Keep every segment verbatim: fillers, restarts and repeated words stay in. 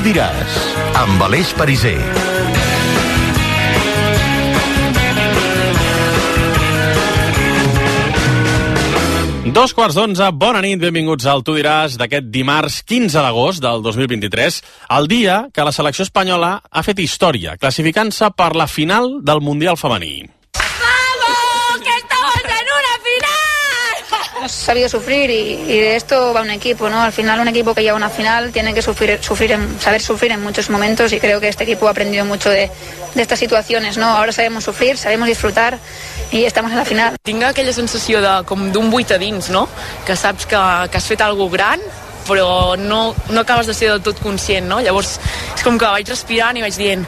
diràs, amb Aleix Pariser. Dos quarts d'onze, bona nit, benvinguts al Tu diràs d'aquest dimarts quinze d'agost del dos mil vint-i-tres, el dia que la selecció espanyola ha fet història, classificant-se per la final del Mundial femení. ¡Vamos! ¡Que estamos en una final! Hemos sabido sufrir y, y de esto va un equipo, ¿no? Al final un equipo que llega a una final tiene que sufrir, sufrir en, saber sufrir en muchos momentos y creo que este equipo ha aprendido mucho de, de estas situaciones, ¿no? Ahora sabemos sufrir, sabemos disfrutar i estamos en la final. Tinc aquella sensació de, com d'un buit a dins, no? Que saps que, que has fet alguna gran, però no, no acabes de ser del tot conscient, no? Llavors és com que vaig respirant i vaig dient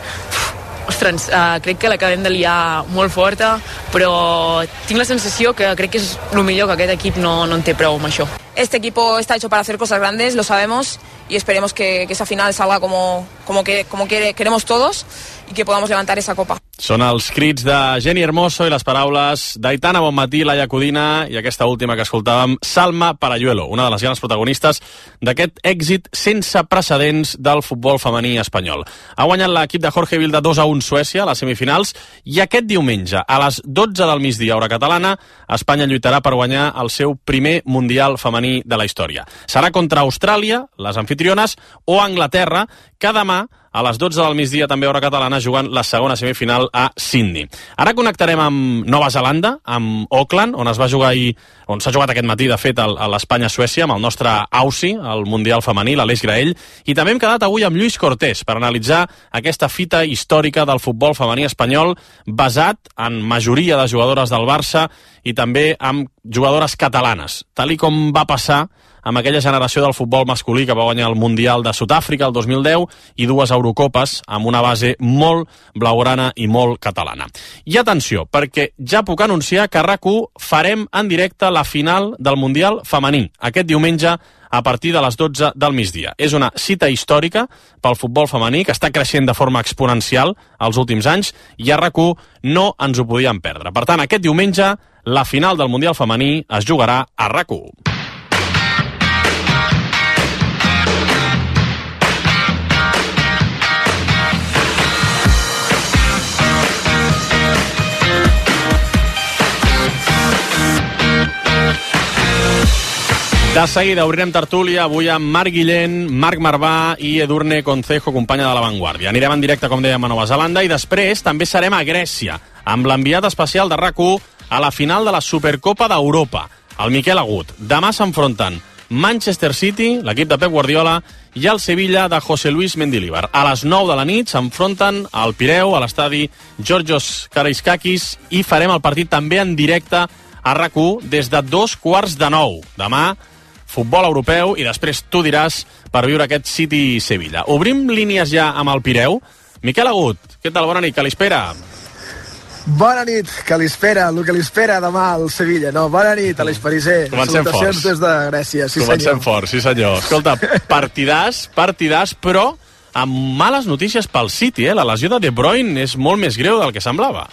ostres, uh, crec que l'acabem de liar molt forta, però tinc la sensació que crec que és el millor que aquest equip no, no en té prou amb això. Este equipo está hecho para hacer cosas grandes, lo sabemos, y esperemos que, que esa final salga como, como, que, como que queremos todos y que podamos levantar esa copa. Són els crits de Jenny Hermoso i les paraules d'Aitana Bonmatí, Laia Codina i aquesta última que escoltàvem, Salma Parayuelo, una de les grans protagonistes d'aquest èxit sense precedents del futbol femení espanyol. Ha guanyat l'equip de Jorge Vilda dos a un Suècia a les semifinals i aquest diumenge, a les dotze del migdia, hora catalana, Espanya lluitarà per guanyar el seu primer Mundial femení de la història. Serà contra Austràlia, les anfitriones, o Anglaterra, que demà a les dotze del migdia, també hora catalana, jugant la segona semifinal a Sydney. Ara connectarem amb Nova Zelanda, amb Auckland, on es va jugar ahir, on s'ha jugat aquest matí, de fet, a l'Espanya-Suècia, amb el nostre Aussie, el Mundial femení, l'Aleix Graell, i també hem quedat avui amb Lluís Cortés per analitzar aquesta fita històrica del futbol femení espanyol, basat en majoria de jugadores del Barça i també amb jugadores catalanes, tal i com va passar amb aquella generació del futbol masculí que va guanyar el Mundial de Sud-àfrica el dos mil deu i dues Eurocopes amb una base molt blaugrana i molt catalana. I atenció, perquè ja puc anunciar que a RAC1 farem en directe la final del Mundial femení aquest diumenge a partir de les dotze del migdia. És una cita històrica pel futbol femení que està creixent de forma exponencial els últims anys i a RAC1 no ens ho podíem perdre. Per tant, aquest diumenge la final del Mundial femení es jugarà a RAC1. De seguida obrirem tertúlia avui amb Marc Guillén, Marc Marvà i Edurne Concejo, companya de La Vanguardia. Anirem en directe, com dèiem, a Nova Zelanda i després també serem a Grècia, amb l'enviat especial de RAC1 a la final de la Supercopa d'Europa, el Miquel Agut. Demà s'enfronten Manchester City, l'equip de Pep Guardiola, i el Sevilla de José Luis Mendilibar. A les nou de la nit s'enfronten al Pireu, a l'estadi Georgios Karaiskakis, i farem el partit també en directe a RAC1 des de dos quarts de nou. Demà futbol europeu i després Tu diràs per viure aquest City-Sevilla. Obrim línies ja amb el Pireu. Miquel Agut, què tal? Bona nit, que l'espera. Bona nit, que l'espera, el que l'espera demà al Sevilla. No, bona nit, Aleix Pariser. Comencem Salutacions forts. des de Grècia, sí Comencem senyor. fort, sí senyor. Escolta, partidàs, partidàs, però amb males notícies pel City, eh? La lesió de De Bruyne és molt més greu del que semblava.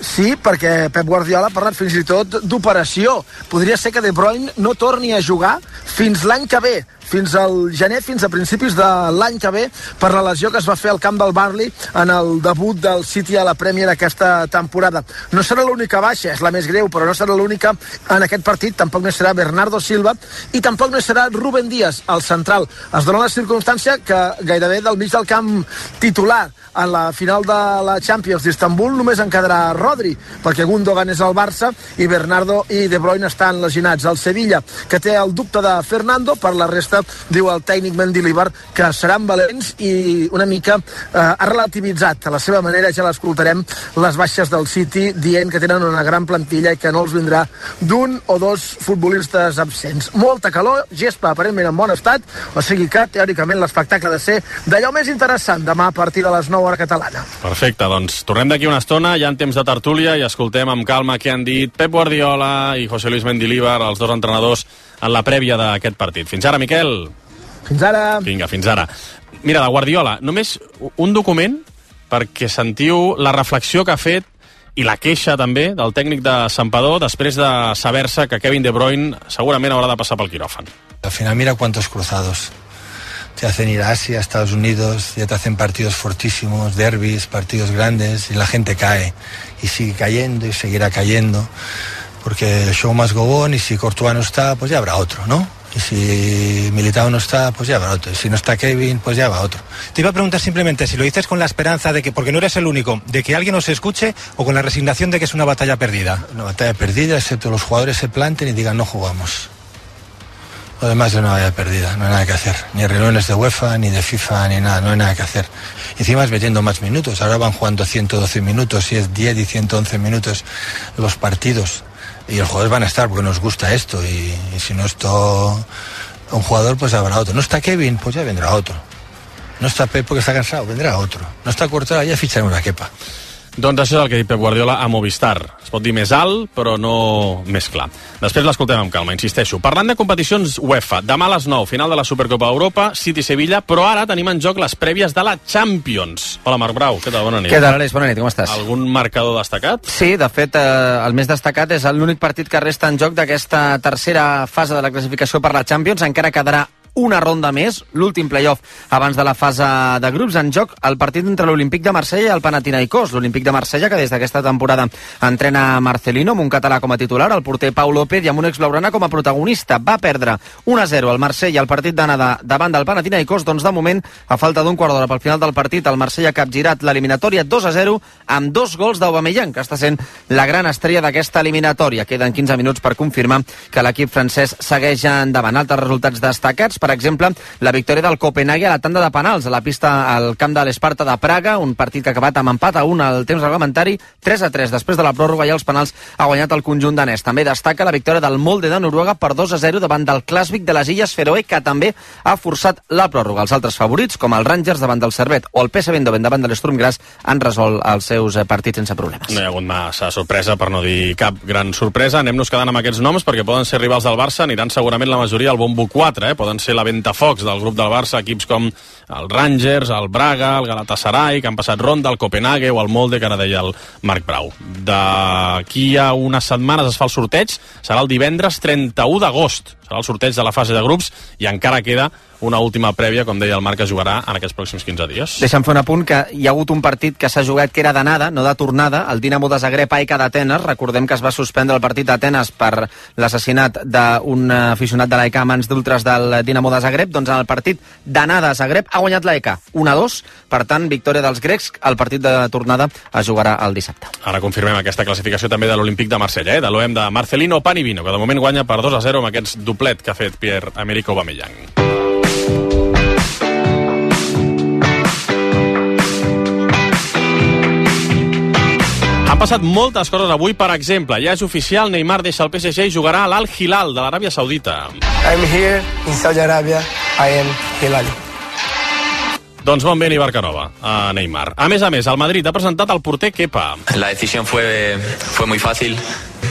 Sí, perquè Pep Guardiola ha parlat fins i tot d'operació. Podria ser que De Bruyne no torni a jugar fins l'any que ve, fins al gener, fins a principis de l'any que ve, per la lesió que es va fer al camp del Burnley en el debut del City a la Premier aquesta temporada. No serà l'única baixa, és la més greu, però no serà l'única en aquest partit. Tampoc no serà Bernardo Silva i tampoc no serà Rúben Díaz, el central. Es dona la circumstància que gairebé del mig del camp titular en la final de la Champions d'Istanbul només en quedarà Rodri, perquè Gundogan és al Barça i Bernardo i De Bruyne estan lesionats. El Sevilla, que té el dubte de Fernando, per la resta diu el tècnic Mendilibar que seran valents i una mica eh, ha relativitzat a la seva manera, ja l'escoltarem, les baixes del City, dient que tenen una gran plantilla i que no els vindrà d'un o dos futbolistes absents. Molta calor, gespa aparentment en bon estat, o sigui que teòricament l'espectacle ha de ser d'allò més interessant demà a partir de les nou hora catalana. Perfecte, doncs tornem d'aquí una estona, ja en temps de tertúlia, i escoltem amb calma què han dit Pep Guardiola i José Luis Mendilibar, els dos entrenadors, en la prèvia d'aquest partit. Fins ara, Miquel. Fins ara. Vinga, fins ara. Mira, de Guardiola, només un document perquè sentiu la reflexió que ha fet i la queixa també del tècnic de Santpedor després de saber-se que Kevin De Bruyne segurament haurà de passar pel quiròfan. Al final mira cuántos cruzados. te hacen ir a Asia, a Estados Unidos, ya te hacen partidos fortísimos, derbis, partidos grandes, y la gente cae, y sigue cayendo y seguirá cayendo, porque el show must go on, y si Courtois no está, pues ya habrá otro, ¿no? Y si Militao no está, pues ya va otro. Y si no está Kevin, pues ya va otro. Te iba a preguntar simplemente si lo dices con la esperanza de que, porque no eres el único, de que alguien os escuche, o con la resignación de que es una batalla perdida. Una batalla perdida, excepto los jugadores se planten y digan no jugamos. Lo demás es una batalla perdida, no hay nada que hacer. Ni reuniones de UEFA, ni de FIFA, ni nada, no hay nada que hacer. Y encima es metiendo más minutos. Ahora van jugando ciento doce minutos, y es diez y ciento once minutos los partidos. Y los jugadores van a estar porque nos gusta esto, y, y si no esto un jugador, pues habrá otro. No está Kevin, pues ya vendrá otro. No está Pep porque está cansado, vendrá otro. No está Courtois, ja ficharem una Kepa. Doncs això és el que ha dit Pep Guardiola a Movistar. Es pot dir més alt, però no més clar. Després l'escoltem amb calma, insisteixo. Parlant de competicions UEFA, demà a les nou, final de la Supercopa Europa, City-Sevilla, però ara tenim en joc les prèvies de la Champions. Hola, Marc Brau, què tal? Bona nit. Què tal, Aleix? Bona nit, com estàs? Algun marcador destacat? Sí, de fet, eh, el més destacat és l'únic partit que resta en joc d'aquesta tercera fase de la classificació per la Champions. Encara quedarà una ronda més, l'últim playoff abans de la fase de grups. En joc el partit entre l'Olímpic de Marsella i el Panathinaikos. L'Olímpic de Marsella, que des d'aquesta temporada entrena Marcelino, amb un català com a titular, el porter Pau López, i amb un exblaugrana com a protagonista. Va perdre un a zero al Marsella el partit d'anada davant del Panathinaikos. Doncs de moment, a falta d'un quart d'hora pel final del partit, el Marsella ha capgirat l'eliminatòria dos a zero amb dos gols d'Aubameyang, que està sent la gran estrella d'aquesta eliminatòria. Queden quinze minuts per confirmar que l'equip francès segueix endavant. Altres resultats destacats, per exemple, la victòria del Copenhague a la tanda de penals a la pista al camp de l'Esparta de Praga, un partit que ha acabat amb empat a un al temps reglamentari, tres a tres després de la pròrroga, i els penals ha guanyat el conjunt danès. També destaca la victòria del Molde de Noruega per dos a zero davant del Klasvik de les Illes Feroe, que també ha forçat la pròrroga. Els altres favorits, com el Rangers davant del Servette o el P S V Eindhoven davant de l'Sturm Graz, han resolt els seus partits sense problemes. No hi ha hagut massa sorpresa, per no dir cap gran sorpresa. Anem-nos quedant amb aquests noms, perquè poden ser rivals del Barça, aniran segurament la majoria al bombo quatre, eh? Poden ser la ventafocs del grup del Barça, equips com el Rangers, el Braga, el Galatasaray, que han passat ronda, el Copenhague o el Molde, que ara deia el Marc Brau. D'aquí a unes setmanes es fa el sorteig, serà el divendres trenta-u d'agost, serà el sorteig de la fase de grups, i encara queda una última prèvia, com deia el Marc, que jugarà en aquests pròxims quinze dies. Deixa'm fer un apunt, que hi ha hagut un partit que s'ha jugat que era d'anada, no de tornada, el Dinamo de Zagreb A E K d'Atenes. Recordem que es va suspendre el partit d'Atenes per l'assassinat d'un aficionat de l'A E K a mans d'ultres del Dinamo de Zagreb. Doncs en el partit d'anada a Zagreb ha guanyat l'A E K un a dos, per tant, victòria dels grecs. El partit de tornada es jugarà el dissabte. Ara confirmem aquesta classificació també de l'Olímpic de Marsella, eh? de l'O E M de Marcelino Panivino, que de moment guanya per dos a zero amb aquest doblet que ha fet Pierre-Emerick Aubameyang. Han passat moltes coses avui, per exemple, ja és oficial, Neymar deixa el P S G i jugarà a l'Al Hilal de l'Aràbia Saudita. I'm here in Saudi Arabia, I am Hilali. Doncs bon vent i barca nova a Neymar. A més a més, el Madrid ha presentat el porter Kepa. La decisión fue, fue muy fácil.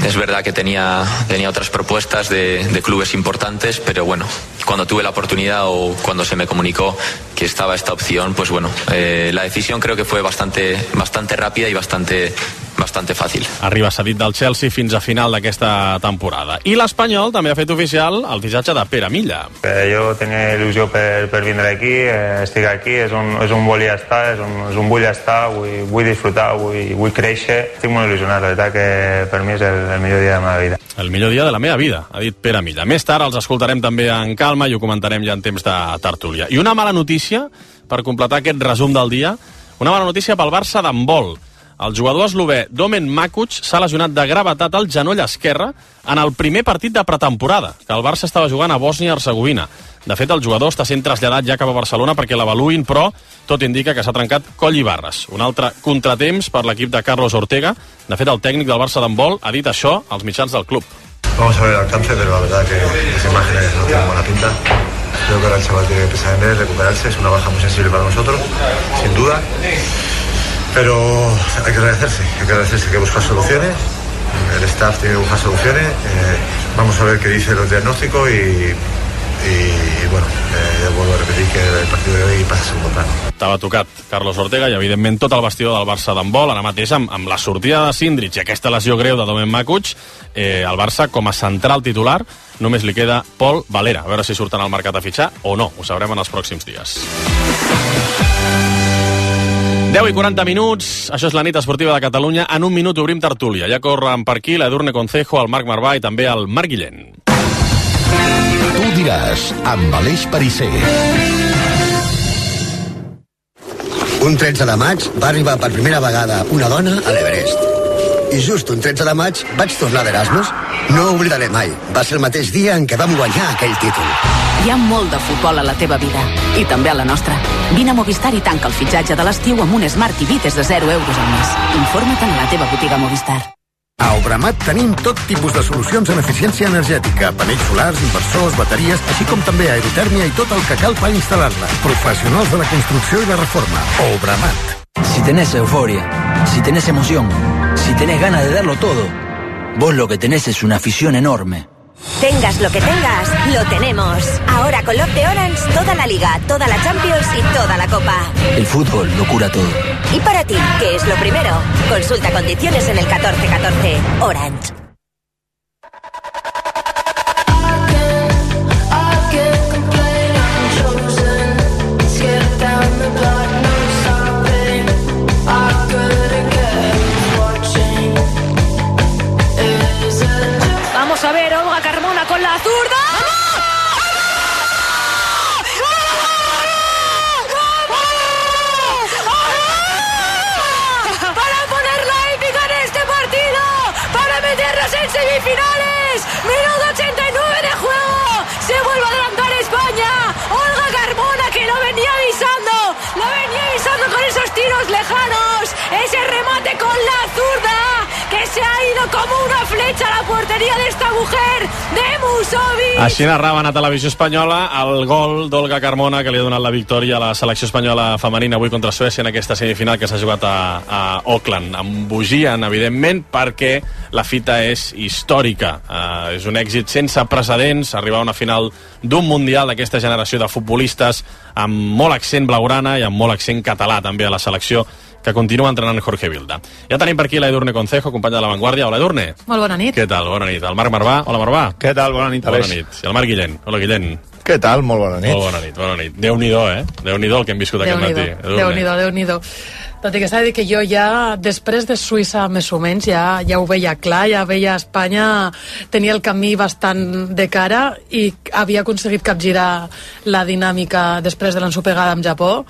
Es verdad que tenía, tenía otras propuestas de, de clubes importantes, pero bueno, cuando tuve la oportunidad o cuando se me comunicó que estaba esta opción, pues bueno, eh, la decisión creo que fue bastante, bastante rápida y bastante, bastante fàcil. Arriba cedit del Chelsea fins a final d'aquesta temporada. I l'Espanyol també ha fet oficial el fitxatge de Pere Milla. Eh, jo tenia il·lusió per, per vindre aquí, eh, estic aquí, és un, és un volia estar, és un, és un vull estar, vull, vull disfrutar, vull, vull créixer. Estic molt il·lusionat, la veritat que per mi és el, el millor dia de la meva vida. El millor dia de la meva vida, ha dit Pere Milla. Més tard els escoltarem també en calma i ho comentarem ja en temps de tertúlia. I una mala notícia, per completar aquest resum del dia, una mala notícia pel Barça d'handbol. El jugador eslové Domen Makuc s'ha lesionat de gravetat al genoll esquerre en el primer partit de pretemporada, que el Barça estava jugant a Bòsnia-Hercegovina. De fet, el jugador està sent traslladat ja cap a Barcelona perquè l'avaluïn, però tot indica que s'ha trencat coll i barres. Un altre contratemps per l'equip de Carlos Ortega. De fet, el tècnic del Barça d'handbol ha dit això als mitjans del club. Vamos a ver el alcance, pero la verdad que las imágenes no tienen buena pinta. Creo que ahora el chaval tiene que pensar en él, recuperarse. Es una baja muy sensible para nosotros, sin duda. Pero hay que agradecerse, hay que agradecerse, hay que buscar soluciones. El staff tiene que buscar soluciones. Eh, vamos a ver qué dice los diagnósticos y, y bueno, eh, ya vuelvo a repetir que el partido de hoy pasa a segundo plano. Estava tocat Carlos Ortega i evidentment tot el vestidor del Barça d'handbol, ara mateix amb, amb la sortida de Sindrich i aquesta lesió greu de Domen Makuch, eh, el Barça com a central titular només li queda Pol Valera, a veure si surten al mercat a fitxar o no, ho sabrem en els pròxims dies. deu i quaranta minuts, això és la nit esportiva de Catalunya. En un minut obrim tertúlia. Ja corren per aquí l'Edurne Concejo, el Marc Marvà i també el Marc Guillén. Tu diràs, amb Aleix Perisser. Un tretze de maig va arribar per primera vegada una dona a l'Everest. I just un tretze de maig vaig tornar d'Erasmus. No ho oblidaré mai. Va ser el mateix dia en què vam guanyar aquell títol. Hi ha molt de futbol a la teva vida, i també a la nostra. Vine a Movistar i tanca el fitxatge de l'estiu amb un Smart T V des de zero euros al mes. Informa't a la teva botiga Movistar. A Obramat tenim tot tipus de solucions en eficiència energètica, panells solars, inversors, bateries, així com també aerotèrmia i tot el que cal per instal·lar-la. Professionals de la construcció i la reforma. Obramat. Si tenés euforia, si tenés emoción, si tenés ganas de darlo todo, vos lo que tenés es una afición enorme. Tengas lo que tengas, lo tenemos. Ahora con Love de Orange, toda la Liga, toda la Champions y toda la Copa. El fútbol lo cura todo. Y para ti, ¿qué es lo primero? Consulta condiciones en el catorce catorce. Orange. Vamos a ver, Olga Carmona con la zurda. Para poner la épica en este partido, para meternos en semifinales. Minuto ochenta y nueve de juego. Se vuelve a adelantar España. Olga Carmona, que lo venía avisando, lo venía avisando con esos tiros lejanos. Ese remate con la zurda, que se ha ido como una flecha a la portería de esta mujer, de Musovic. Així narraven a Televisió Espanyola el gol d'Olga Carmona, que li ha donat la victòria a la selecció espanyola femenina avui contra Suècia en aquesta semifinal que s'ha jugat a, a Auckland. Embogien, evidentment, perquè la fita és històrica. Uh, és un èxit sense precedents, arribar a una final d'un mundial d'aquesta generació de futbolistes amb molt accent blaugrana i amb molt accent català també a la selecció, que continua entrenant Jorge Vilda. Ja tenim per aquí l'Edurne Concejo, company de La Vanguardia. Hola, Edurne. Molt bona nit. Què tal? Bona nit. El Marc Marvà. Hola, Marvà. Què tal? Bona nit, Aleix. Bona nit. I el Marc Guillén. Hola, Guillén. Què tal? Molt bona nit. Molt bona nit, bona nit. Déu-n'hi-do, eh? Déu-n'hi-do el que hem viscut aquest matí. Déu-n'hi-do, Déu-n'hi-do. Tot i que s'ha de dir que jo ja, després de Suïssa, més o menys, ja, ja ho veia clar, ja veia Espanya, tenia el camí bastant de cara i havia aconseguit capgirar la dinàmica després de l'ensopegada amb Japó,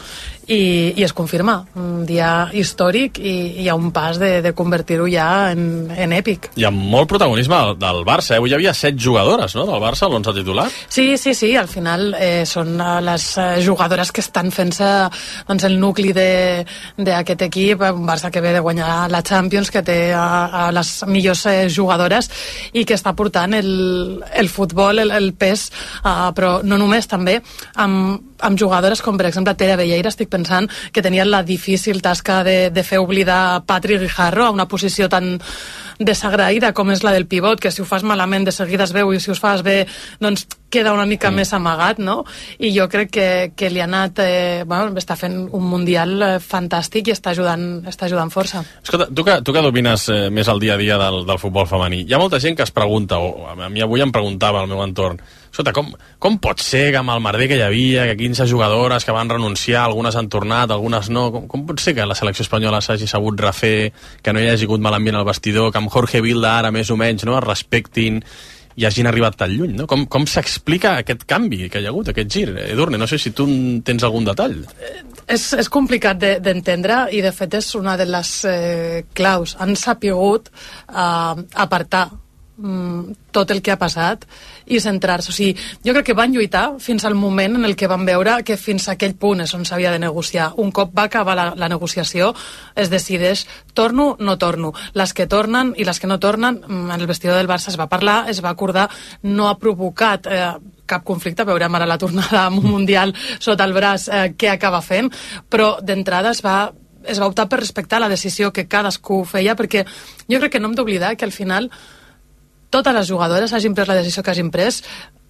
i, i es confirma, un dia històric i hi ha un pas de, de convertir-ho ja en, en èpic. Hi ha molt protagonisme del, del Barça, eh? Avui hi havia set jugadores, no?, del Barça, l'onze titular. Sí, sí, sí, al final eh, són les jugadores que estan fent-se doncs, el nucli de, d'aquest equip, un Barça que ve de guanyar la Champions, que té a, a les millors eh, jugadores i que està portant el, el futbol, el, el pes, uh, però no només, també amb amb jugadores com per exemple Tere Velleira. Estic pensant que tenien la difícil tasca de, de fer oblidar Patrick Guijarro a una posició tan desagraïda com és la del pivot, que si ho fas malament de seguida es veu i si ho fas bé doncs queda una mica mm. més amagat, no? I jo crec que, que li ha anat eh, bueno, està fent un mundial eh, fantàstic i està ajudant, està ajudant força. Escolta, tu que, tu que domines eh, més el dia a dia del, del futbol femení, hi ha molta gent que es pregunta, o a mi avui em preguntava al meu entorn, escolta, com, com pot ser que amb el merder que hi havia, que quinze jugadores que van renunciar, algunes han tornat, algunes no, com, com pot ser que la selecció espanyola s'hagi sabut refer, que no hi hagi hagut mal ambient al vestidor, que amb Jorge Vilda ara més o menys no, es respectin i hagin arribat tan lluny, no? Com, com s'explica aquest canvi que hi ha hagut, aquest gir? Edurne, no sé si tu tens algun detall. És, és complicat de, d'entendre i de fet és una de les eh, claus. Han sapigut eh, apartar mm, tot el que ha passat i centrar-se. O sigui, jo crec que van lluitar fins al moment en el que van veure que fins a aquell punt és on s'havia de negociar. Un cop va acabar la, la negociació, es decideix torno, no torno. Les que tornen i les que no tornen, en el vestidor del Barça es va parlar, es va acordar, no ha provocat eh, cap conflicte, veurem ara la tornada amb un mundial sota el braç eh, què acaba fent, però d'entrada es va es va optar per respectar la decisió que cadascú feia, perquè jo crec que no hem d'oblidar que al final totes les jugadores hagin pres la decisió que hagin pres,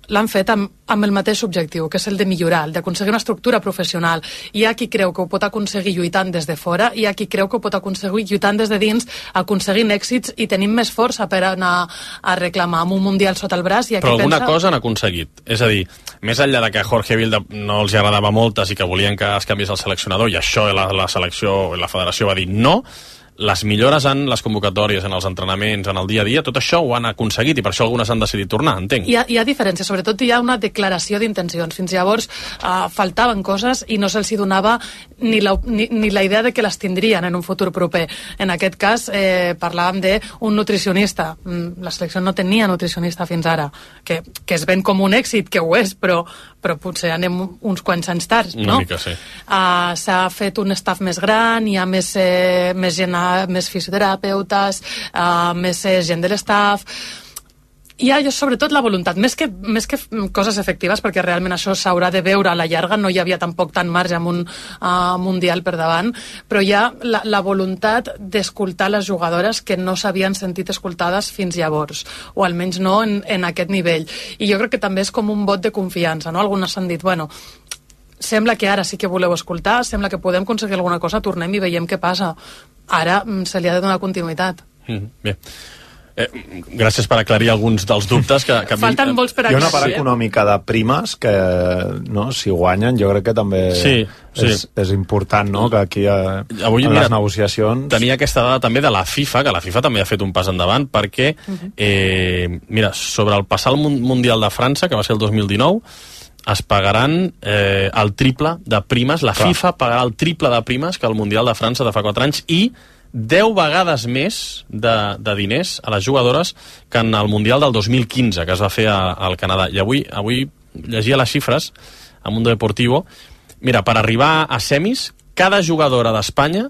l'han fet amb, amb el mateix objectiu, que és el de millorar, el d'aconseguir una estructura professional. Hi ha qui creu que ho pot aconseguir lluitant des de fora, hi ha qui creu que ho pot aconseguir lluitant des de dins, aconseguint èxits i tenint més força per anar a reclamar amb un Mundial sota el braç. I Però alguna pensa... cosa han aconseguit. És a dir, més enllà de que a Jorge Vilda no els agradava moltes i que volien que es canviés el seleccionador, i això la, la selecció, la federació va dir no, les millores en les convocatòries, en els entrenaments, en el dia a dia, tot això ho han aconseguit i per això algunes han decidit tornar, entenc. Hi ha, hi ha diferències, sobretot hi ha una declaració d'intencions. Fins llavors uh, faltaven coses i no se'ls donava ni la, ni, ni la idea de que les tindrien en un futur proper. En aquest cas eh, parlàvem d'un nutricionista. La selecció no tenia nutricionista fins ara, que, que es ven com un èxit, que ho és, però, però potser anem uns quants anys tard, no? Una mica, sí. Uh, s'ha fet un staff més gran, hi ha més, eh, més gent, més fisioterapeutes, uh, més eh, gent de l'estaff. Hi ha, sobretot, la voluntat, més que, més que coses efectives, perquè realment això s'haurà de veure a la llarga, no hi havia tampoc tant marge amb un uh, Mundial per davant, però hi ha la, la voluntat d'escoltar les jugadores que no s'havien sentit escoltades fins llavors, o almenys no en, en aquest nivell. I jo crec que també és com un vot de confiança, no? Algunes han dit, bueno, sembla que ara sí que voleu escoltar, sembla que podem aconseguir alguna cosa, tornem i veiem què passa. Ara se li ha de donar continuïtat. Mm, bé. Eh, gràcies per aclarir alguns dels dubtes que, que falten molts per aclarir. Hi ha una part econòmica de primes que, no, si guanyen, jo crec que també sí, sí. És, és important, no?, que aquí a, avui, en mira, les negociacions... Tenia aquesta dada també de la FIFA, que la FIFA també ha fet un pas endavant, perquè, eh, mira, sobre el passat Mundial de França, que va ser el dos mil dinou, es pagaran eh, el triple de primes, la Clar. FIFA pagarà el triple de primes que el Mundial de França de fa quatre anys i deu vegades més de, de diners a les jugadores que en el Mundial del dos mil quinze, que es va fer a, al Canadà. I avui, avui llegia les xifres a Mundo Deportivo. Mira, per arribar a semis, cada jugadora d'Espanya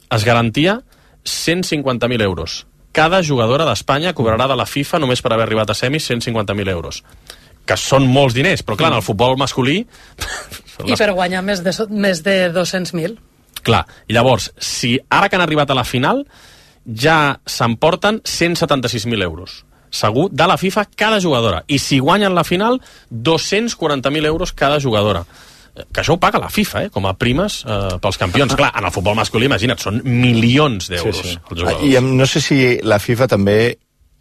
es garantia cent cinquanta mil euros. Cada jugadora d'Espanya cobrarà de la FIFA només per haver arribat a semis cent cinquanta mil euros. Que són molts diners, però clar, en el futbol masculí... I per guanyar més de, més de dos-cents mil. Clar, i llavors, si ara que han arribat a la final, ja s'emporten cent setanta-sis mil euros. Segur, de la FIFA, cada jugadora. I si guanyen la final, dos-cents quaranta mil euros cada jugadora. Que això ho paga la FIFA, eh, com a primes eh, pels campions. Clar, en el futbol masculí, imagina't, són milions d'euros. Sí, sí. Els jugadors. I no sé si la FIFA també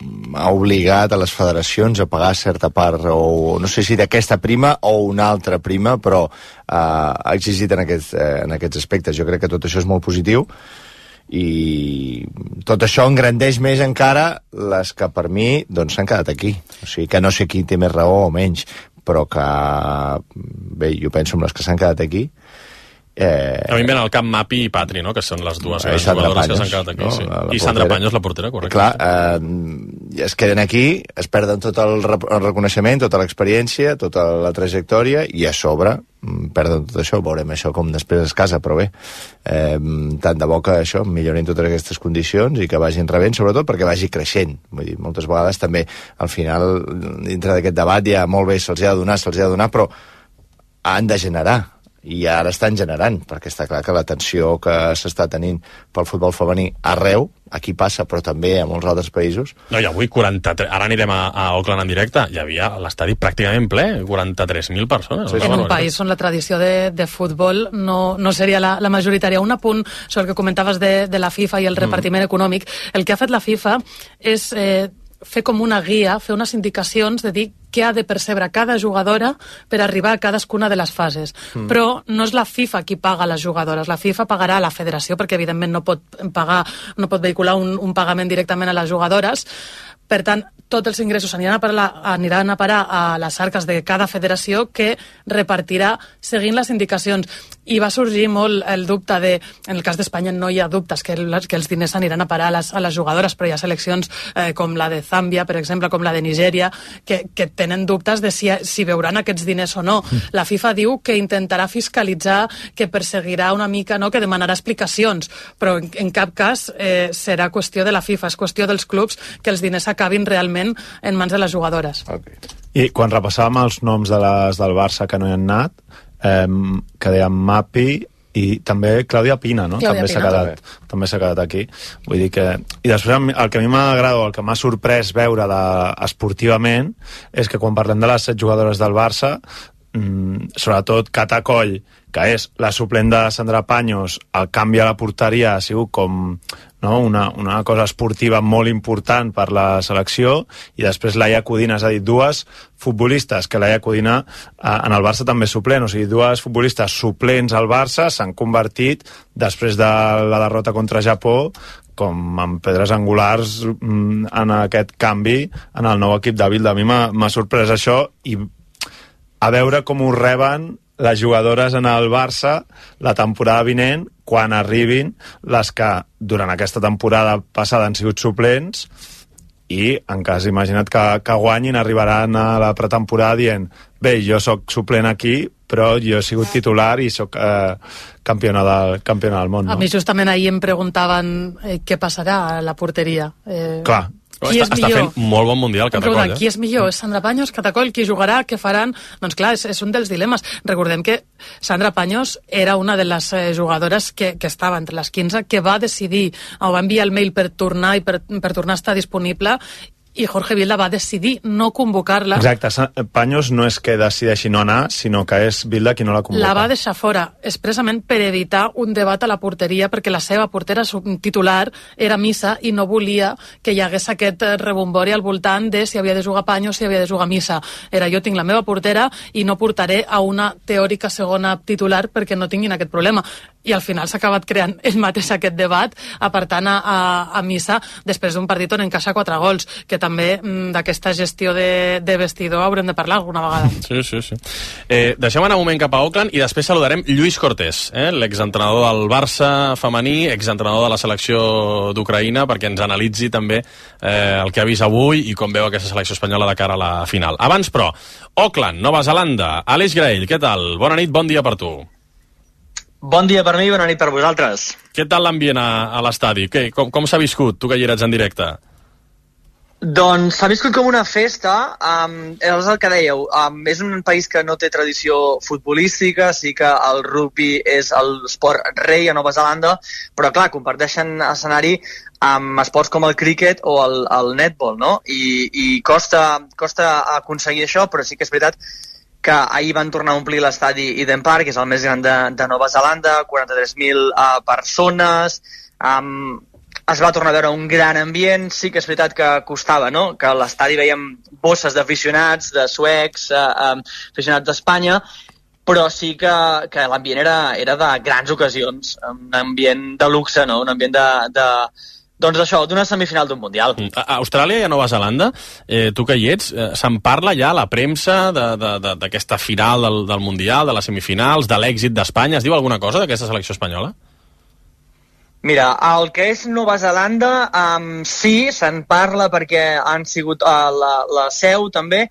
ha obligat a les federacions a pagar certa part, o no sé si d'aquesta prima o una altra prima, però eh, ha exigit en aquests, eh, en aquests aspectes. Jo crec que tot això és molt positiu i tot això engrandeix més encara les que per mi doncs s'han quedat aquí. O sigui que no sé qui té més raó o menys, però que bé, jo penso en les que s'han quedat aquí. Eh... A mi em ven al cap Mapi i Patri, no?, que són les dues grans jugadores que s'han quedat aquí. No? Sí. I Sandra Paños, la portera, correcte. Clar, eh, es queden aquí, es perden tot el, re el reconeixement, tota l'experiència, tota la trajectòria, i a sobre perden tot això. Veurem això com després es casa, però bé, eh, tant de bo que això millorin totes aquestes condicions i que vagin rebent, sobretot perquè vagi creixent. Vull dir, moltes vegades també, al final, dintre d'aquest debat, ja molt bé, se'ls ha de donar, se'ls ha de donar, però han de generar. I ara estan generant, perquè està clar que l'atenció que s'està tenint pel futbol femení arreu, aquí passa, però també a molts altres països. No, i avui quaranta-tres, ara anirem a, a Auckland en directe, hi havia l'estadi pràcticament ple, quaranta-tres mil persones. Sí, en un país on la tradició de, de futbol no, no seria la, la majoritària. Un apunt sobre el que comentaves de, de la FIFA i el repartiment mm. econòmic. El que ha fet la FIFA és eh, fer com una guia, fer unes indicacions de dir què ha de percebre cada jugadora per arribar a cadascuna de les fases. Mm. Però no és la FIFA qui paga les jugadores, la FIFA pagarà a la federació, perquè evidentment no pot pagar, no pot vehicular un, un pagament directament a les jugadores. Per tant, tots els ingressos aniran a, parar, aniran a parar a les arques de cada federació, que repartirà seguint les indicacions. I va sorgir molt el dubte de, en el cas d'Espanya no hi ha dubtes que, el, que els diners aniran a parar a les, a les jugadores, però hi ha seleccions eh, com la de Zàmbia, per exemple, com la de Nigèria, que, que tenen dubtes de si, si veuran aquests diners o no. Mm. La FIFA diu que intentarà fiscalitzar, que perseguirà una mica, no?, que demanarà explicacions, però en, en cap cas eh, serà qüestió de la FIFA, és qüestió dels clubs que els diners acabin realment en mans de les jugadores. Okay. I quan repassàvem els noms de les del Barça que no hi han anat, eh, que deien Mapi, i també Clàudia Pina, no? Clàudia també s'ha Pina. quedat, també s'ha quedat aquí. Vull dir que... I després el que a mi m'agrada, el que m'ha sorprès veure de, esportivament, és que quan parlem de les set jugadores del Barça, mmm, sobretot Cata Coll, que és la suplent de Sandra Paños, el canvi a la porteria ha sigut com, no, una, una cosa esportiva molt important per la selecció, i després Laia Codina, és a dir, dues futbolistes, que Laia Codina eh, en el Barça també és suplent, o sigui, dues futbolistes suplents al Barça s'han convertit, després de la derrota contra Japó, com en pedres angulars mm, en aquest canvi en el nou equip de Bilda. A mi m'ha sorprès això, i a veure com ho reben les jugadores en el Barça la temporada vinent, quan arribin les que durant aquesta temporada passada han sigut suplents, i en cas, imagina't que, que guanyin, arribaran a la pretemporada dient, bé, jo sóc suplent aquí, però jo he sigut titular i sóc eh, campiona, del, campiona del món, no? A mi justament ahir em preguntaven eh, què passarà a la porteria. Eh, Clar. Qui està, és està millor? fent molt bon mundial, Cata Coll, eh? Qui és millor? És Sandra Paños, Cata Coll? Qui jugarà? Què faran? Doncs clar, és, és un dels dilemes. Recordem que Sandra Paños era una de les eh, jugadores que, que estava entre les quinze, que va decidir, o va enviar el mail per tornar i per, per tornar a estar disponible, i Jorge Vilda va decidir no convocar-la. Exacte, Paños no és que decideixi no anar, sinó que és Vilda qui no la convoca. La va deixar fora, expressament per evitar un debat a la porteria, perquè la seva portera titular era Missa i no volia que hi hagués aquest rebombori al voltant de si havia de jugar Paños, si havia de jugar Missa. Era, jo tinc la meva portera i no portaré a una teòrica segona titular perquè no tinguin aquest problema. I al final s'ha acabat creant ell mateix aquest debat, apartant a, a, a Missa després d'un partit on encaixa quatre gols, que també mm, d'aquesta gestió de, de vestidor haurem de parlar alguna vegada. Sí, sí, sí. Eh, deixem anar un moment cap a Auckland i després saludarem Lluís Cortés, eh, l'exentrenador del Barça femení, exentrenador de la selecció d'Ucraïna, perquè ens analitzi també eh, el que ha vist avui i com veu aquesta selecció espanyola de cara a la final. Abans, però, Auckland, Nova Zelanda. Aleix Graell, què tal? Bona nit, bon dia per tu. Bon dia per mi i bona nit per vosaltres. Què tal l'ambient a, a l'estadi? Què, com com s'ha viscut, tu que hi eres en directe? Doncs s'ha viscut com una festa, um, és el que dèieu, um, és un país que no té tradició futbolística, sí que el rugby és l'esport rei a Nova Zelanda, però clar, comparteixen escenari amb esports com el cricket o el, el netball, no? I, i costa, costa aconseguir això, però sí que és veritat que ahir van tornar a omplir l'estadi Eden Park, que és el més gran de, de Nova Zelanda, quaranta-tres mil uh, persones, um, es va tornar a veure un gran ambient, sí que és veritat que costava, no?, que a l'estadi veiem bosses d'aficionats, de suecs, uh, um, aficionats d'Espanya, però sí que, que l'ambient era, era de grans ocasions, un ambient de luxe, no?, un ambient de... de doncs això, d'una semifinal d'un Mundial. A Austràlia i a Nova Zelanda, eh, tu que hi ets, eh, se'n parla ja a la premsa d'aquesta final del, del Mundial, de les semifinals, de l'èxit d'Espanya? Es diu alguna cosa d'aquesta selecció espanyola? Mira, el que és Nova Zelanda, um, sí, se'n parla perquè han sigut uh, la, la seu també,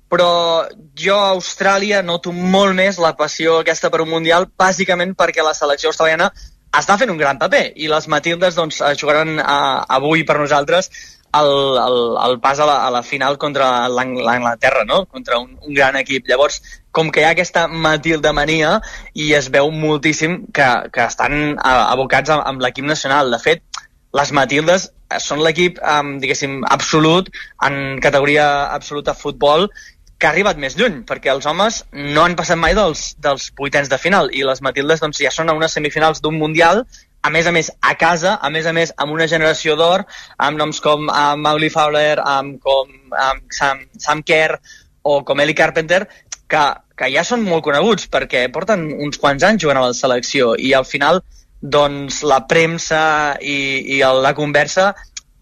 però jo a Austràlia noto molt més la passió aquesta per un Mundial, bàsicament perquè la selecció australiana està fent un gran paper, i les Matildes doncs, jugaran uh, avui per nosaltres el, el, el pas a la, a la final contra l'Anglaterra, no?, contra un, un gran equip. Llavors, com que hi ha aquesta Matildemania i es veu moltíssim que, que estan uh, abocats amb, amb l'equip nacional. De fet, les Matildes són l'equip, um, diguéssim, absolut, en categoria absoluta futbol, que ha arribat més lluny, perquè els homes no han passat mai dels, dels vuitens de final, i les Matildes doncs, ja són a unes semifinals d'un Mundial, a més a més a casa, a més a més amb una generació d'or, amb noms com uh, Mauli Fowler, um, com um, Sam, Sam Kerr o com Ellie Carpenter, que, que ja són molt coneguts perquè porten uns quants anys jugant a la selecció, i al final doncs, la premsa i, i la conversa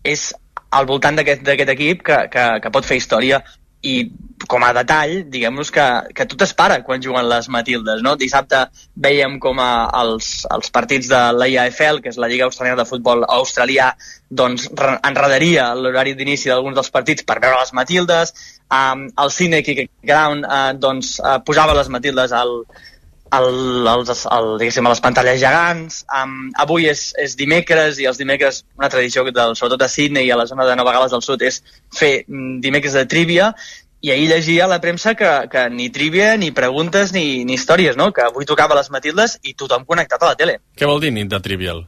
és al voltant d'aquest equip que, que, que pot fer història. I com a detall, diguem-nos que, que tot es para quan juguen les Matildes, no? Dissabte veiem com a, els, els partits de l'A I A F L, que és la Lliga Australiana de Futbol Australià, doncs enredaria l'horari d'inici d'alguns dels partits per veure les Matildes. Um, el Cinec Ground uh, doncs, uh, posava les Matildes al, al, als, al, diguéssim, a les pantalles gegants. Um, avui és, és dimecres, i els dimecres, una tradició del, sobretot a Sydney i a la zona de Nova Gal·les del Sud, és fer dimecres de trivia, i ahir llegia a la premsa que, que ni trivia, ni preguntes, ni, ni històries, no? Que avui tocava les Matildes i tothom connectat a la tele. Què vol dir nit de Trivial?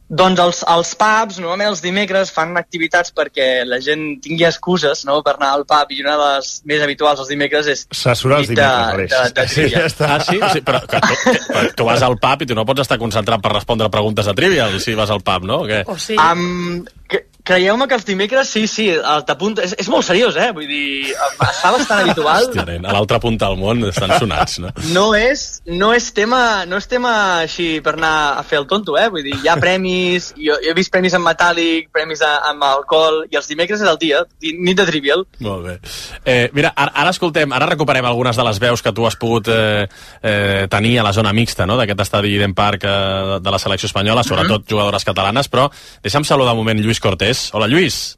Doncs els, els pubs, normalment els dimecres, fan activitats perquè la gent tingui excuses, no?, per anar al pub, i una de les més habituals els dimecres és s'assura els dimecres, de, de, de sí, ja està. Ah, sí? sí però que tu, que, tu vas al pub i tu no pots estar concentrat per respondre preguntes de Trivial si vas al pub, no? O què? O sí. Um, que, creieu-me que els dimecres, sí, sí, t'apunta... És, és molt seriós, eh? Vull dir, es fa bastant habitual. Hòstia, nen, a l'altra punta del món estan sonats, no? No és, no és tema, no és tema així per anar a fer el tonto, eh? Vull dir, hi ha premis, jo, jo he vist premis en metàl·lic, premis a, amb alcohol, i els dimecres és el dia, nit de Trivial. Molt bé. Eh, mira, ara, ara escoltem, ara recuperem algunes de les veus que tu has pogut eh, eh, tenir a la zona mixta, no?, d'aquest estadi Eden Park eh, de la selecció espanyola, sobretot mm-hmm. jugadores catalanes, però deixa'm saludar un moment Lluís Cortés. Hola, Lluís.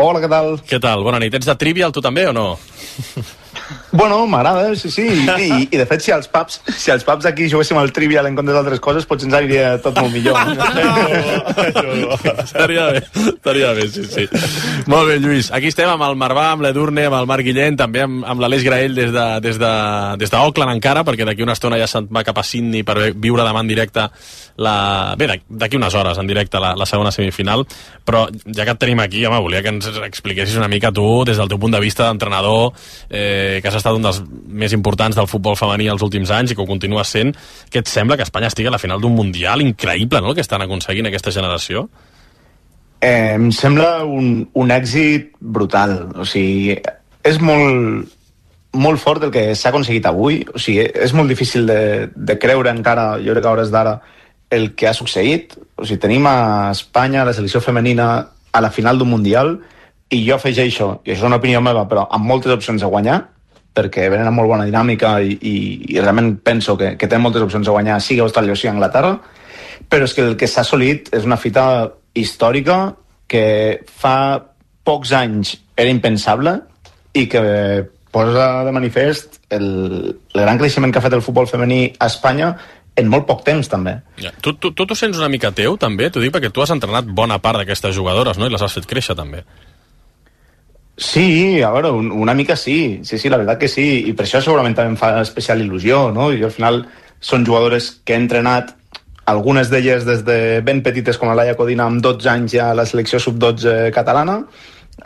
Hola, què tal? Què tal? Bona nit. Ets de Trivial, tu també, o no? Bueno, m'agrada, sí, sí. I, i, I, de fet, si als pubs, si als pubs aquí juguéssim al Trivial en comptes d'altres coses, potser ens aniria tot molt millor. Estaria bé, estaria bé, sí, sí. Molt bé, Lluís. Aquí estem amb el Marvà, amb l'Edurne, amb el Marc Guillén, també amb, amb l'Aleix Graell des de, des de, des d'Auckland encara, perquè d'aquí una estona ja se'n va cap a Sydney per viure demà en directe la... Bé, d'aquí unes hores en directe la, la segona semifinal, però ja que et tenim aquí, home, volia que ens expliquessis una mica tu, des del teu punt de vista d'entrenador, eh, que has estat un dels més importants del futbol femení els últims anys i que ho continues sent, què et sembla que Espanya estigui a la final d'un Mundial? Increïble, no?, el que estan aconseguint aquesta generació. Eh, em sembla un, un èxit brutal. O sigui, és molt, molt fort el que s'ha aconseguit avui. O sigui, és molt difícil de, de creure encara, jo crec que a hores d'ara, el que ha succeït. O sigui, tenim a Espanya, la selecció femenina, a la final d'un Mundial, i jo afegeixo, i això és una opinió meva, però amb moltes opcions de guanyar, perquè venen amb molt bona dinàmica i, i, i realment penso que, que tenen moltes opcions de guanyar, sigui Austràlia o sigui Anglaterra, però és que el que s'ha assolit és una fita històrica que fa pocs anys era impensable i que posa de manifest el, el gran creixement que ha fet el futbol femení a Espanya en molt poc temps, també. Ja. Tu, tu, tu t'ho sents una mica teu, també? T'ho dic perquè tu has entrenat bona part d'aquestes jugadores, no?, i les has fet créixer, també. Sí, a veure, un, una mica sí, sí, sí, la veritat que sí, i per això segurament també em fa especial il·lusió, no? I al final són jugadores que he entrenat, algunes d'elles des de ben petites com la Laia Codina amb dotze anys ja a la selecció sub dotze catalana,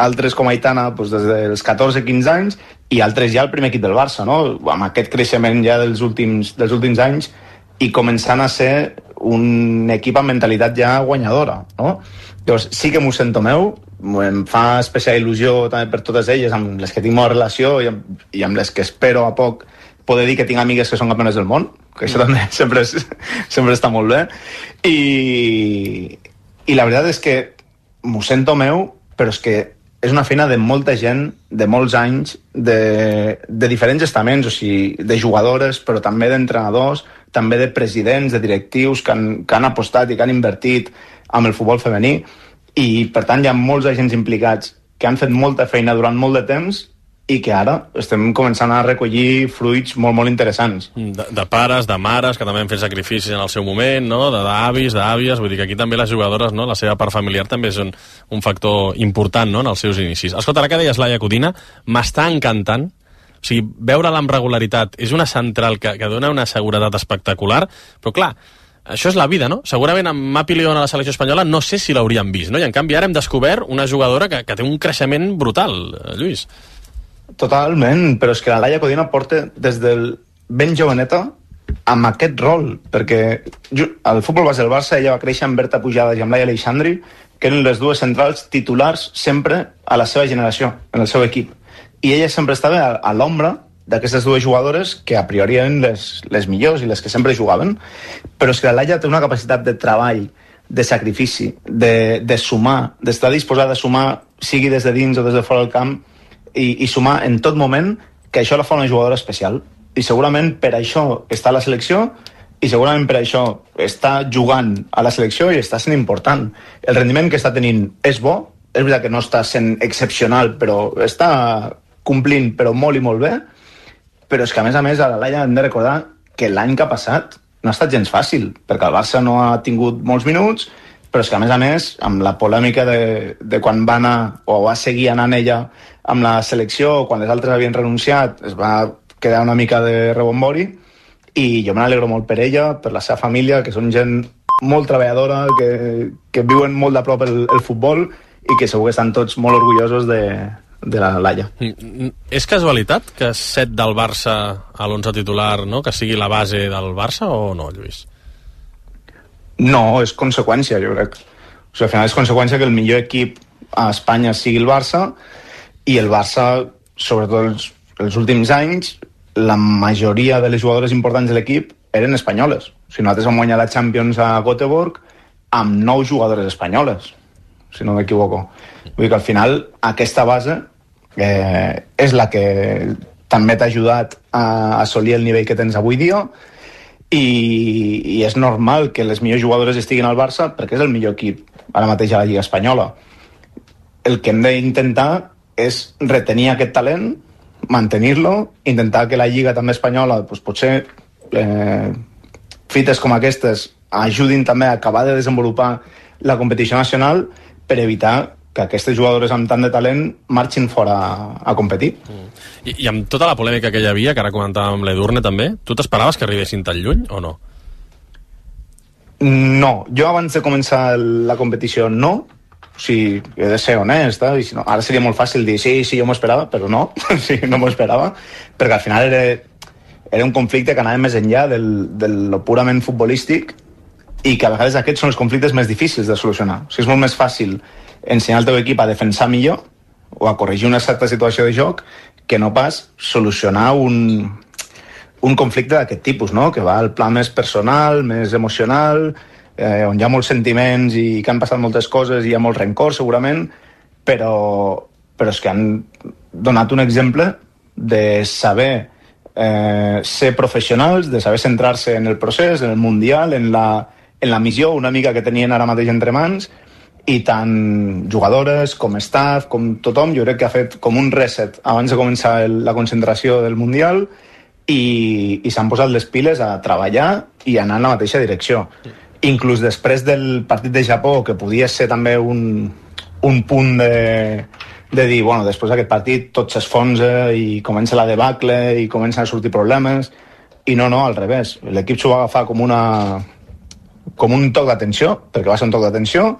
altres com Aitana doncs, des dels catorze quinze anys, i altres ja al primer equip del Barça, no? Amb aquest creixement ja dels últims, dels últims anys i començant a ser un equip amb mentalitat ja guanyadora, no? Llavors, sí que m'ho sento meu, em fa especial il·lusió també per totes elles, amb les que tinc bona relació i amb, i amb les que espero a poc poder dir que tinc amigues que són campiones del món, que això també sempre, és, sempre està molt bé. I, i la veritat és que m'ho sento meu, però és que és una feina de molta gent, de molts anys, de, de diferents estaments, o sigui, de jugadores, però també d'entrenadors, també de presidents, de directius que han, que han apostat i que han invertit amb el futbol femení, i per tant hi ha molts agents implicats que han fet molta feina durant molt de temps i que ara estem començant a recollir fruits molt, molt interessants. De, de pares, de mares, que també han fet sacrificis en el seu moment, no?, de d'avis, d'àvies, vull dir que aquí també les jugadores, no?, la seva part familiar també és un, un factor important, no?, en els seus inicis. Escolta, ara que deies Laia Codina, m'està encantant, o sigui, veure-la amb regularitat és una central que, que dona una seguretat espectacular, però clar, això és la vida, no? Segurament amb Mapi León a la selecció espanyola no sé si l'hauríem vist, no? I en canvi ara hem descobert una jugadora que, que té un creixement brutal, Lluís. Totalment, però és que la Laia Codina porta des del ben joveneta amb aquest rol, perquè al futbol base del Barça ella va créixer amb Berta Pujades i amb Laia Aleixandri, que eren les dues centrals titulars sempre a la seva generació, en el seu equip. I ella sempre estava a, a l'ombra d'aquestes dues jugadores que a priori eren les, les millors i les que sempre jugaven, però és que la Laia té una capacitat de treball, de sacrifici, de, de sumar, d'estar disposada a sumar, sigui des de dins o des de fora del camp, i, i sumar en tot moment, que això la fa una jugadora especial. I segurament per això està a la selecció, i segurament per això està jugant a la selecció i està sent important. El rendiment que està tenint és bo, és veritat que no està sent excepcional, però està complint, però molt i molt bé, però és que a més a més a la Laia hem de recordar que l'any que ha passat no ha estat gens fàcil, perquè el Barça no ha tingut molts minuts però és que a més a més, amb la polèmica de, de quan va anar, o va seguir anant ella amb la selecció, quan les altres havien renunciat, es va quedar una mica de rebombori, i jo me n'alegro molt per ella, per la seva família, que són gent molt treballadora, que, que viuen molt de prop el, el futbol, i que segur que estan tots molt orgullosos de, de la Laia. És casualitat que set del Barça a l'onze titular, no? Que sigui la base del Barça o no, Lluís? No, és conseqüència, jo crec. O sigui, al final és conseqüència que el millor equip a Espanya sigui el Barça, i el Barça, sobretot els, els últims anys, la majoria de les jugadores importants de l'equip eren espanyoles. O sigui, nosaltres vam guanyar la Champions a Göteborg amb nou jugadores espanyoles, si no m'equivoco. Vull dir que al final aquesta base eh, és la que també t'ha ajudat a assolir el nivell que tens avui dia, i, i és normal que les millors jugadores estiguin al Barça perquè és el millor equip ara mateix a la Lliga Espanyola. El que hem d'intentar és retenir aquest talent, mantenir-lo, intentar que la Lliga també espanyola, doncs potser eh, fites com aquestes ajudin també a acabar de desenvolupar la competició nacional per evitar que aquestes jugadores amb tant de talent marxin fora a, a competir. Mm. I, I amb tota la polèmica que hi havia, que ara comentàvem l'Edurne també, tu t'esperaves que arribessin tan lluny o no? No, jo abans de començar la competició no, o sigui, he de ser honest, eh? I si no, ara seria molt fàcil dir sí, sí, jo m'ho esperava, però no, sí, no m'ho esperava, perquè al final era, era un conflicte que anava més enllà del, del purament futbolístic, i que a vegades aquests són els conflictes més difícils de solucionar. O sigui, és molt més fàcil ensenyar al teu equip a defensar millor o a corregir una certa situació de joc que no pas solucionar un, un conflicte d'aquest tipus, no? Que va al pla més personal, més emocional, eh, on hi ha molts sentiments i que han passat moltes coses i hi ha molt rencor segurament, però, però és que han donat un exemple de saber eh, ser professionals, de saber centrar-se en el procés, en el Mundial, en la, en la missió una mica que tenien ara mateix entre mans, i tant jugadores com staff, com tothom, jo crec que ha fet com un reset abans de començar el, la concentració del Mundial, i, i s'han posat les piles a treballar i anar en la mateixa direcció. Inclús després del partit de Japó, que podia ser també un, un punt de, de dir, bueno, després d'aquest partit tot s'esfonsa i comença la debacle i comencen a sortir problemes, i no, no, al revés. L'equip s'ho va agafar com una com un toc d'atenció, perquè va ser un toc d'atenció,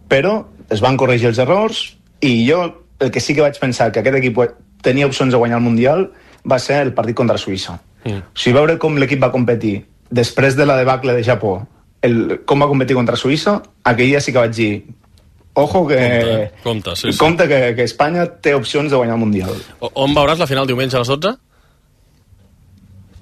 però es van corregir els errors, i jo el que sí que vaig pensar que aquest equip tenia opcions de guanyar el Mundial va ser el partit contra Suïssa. Mm. O sigui, veure com l'equip va competir després de la debacle de Japó, el, com va competir contra Suïssa, aquell dia sí que vaig dir ojo que, compte, compte, sí, sí. compte que, que Espanya té opcions de guanyar el Mundial. O, on veuràs la final diumenge a les dotze?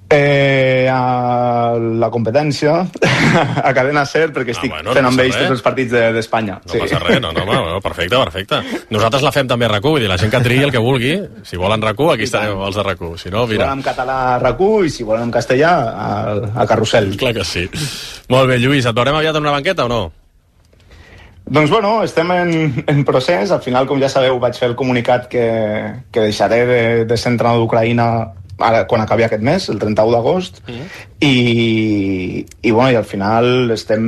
Eh, a la competència a Cadena Ser, perquè estic ah, bueno, fent no amb ells tots els partits d'Espanya. No sí. passa res, no, no, no, perfecte, perfecte. Nosaltres la fem també a RAC u, vull dir, la gent que triï el que vulgui, si volen RAC u, aquí estarem els de RAC u. Si no, mira. Si volen en català a RAC u i si volen en castellà a, a Carrusel. Clar que sí. Molt bé, Lluís, et veurem aviat en una banqueta o no? Doncs bueno, estem en, en procés. Al final, com ja sabeu, vaig fer el comunicat que, que deixaré de, de ser entrenador d'Ucraïna ara, quan acabi aquest mes, el trenta-u d'agost, mm. i, i, bueno, i al final estem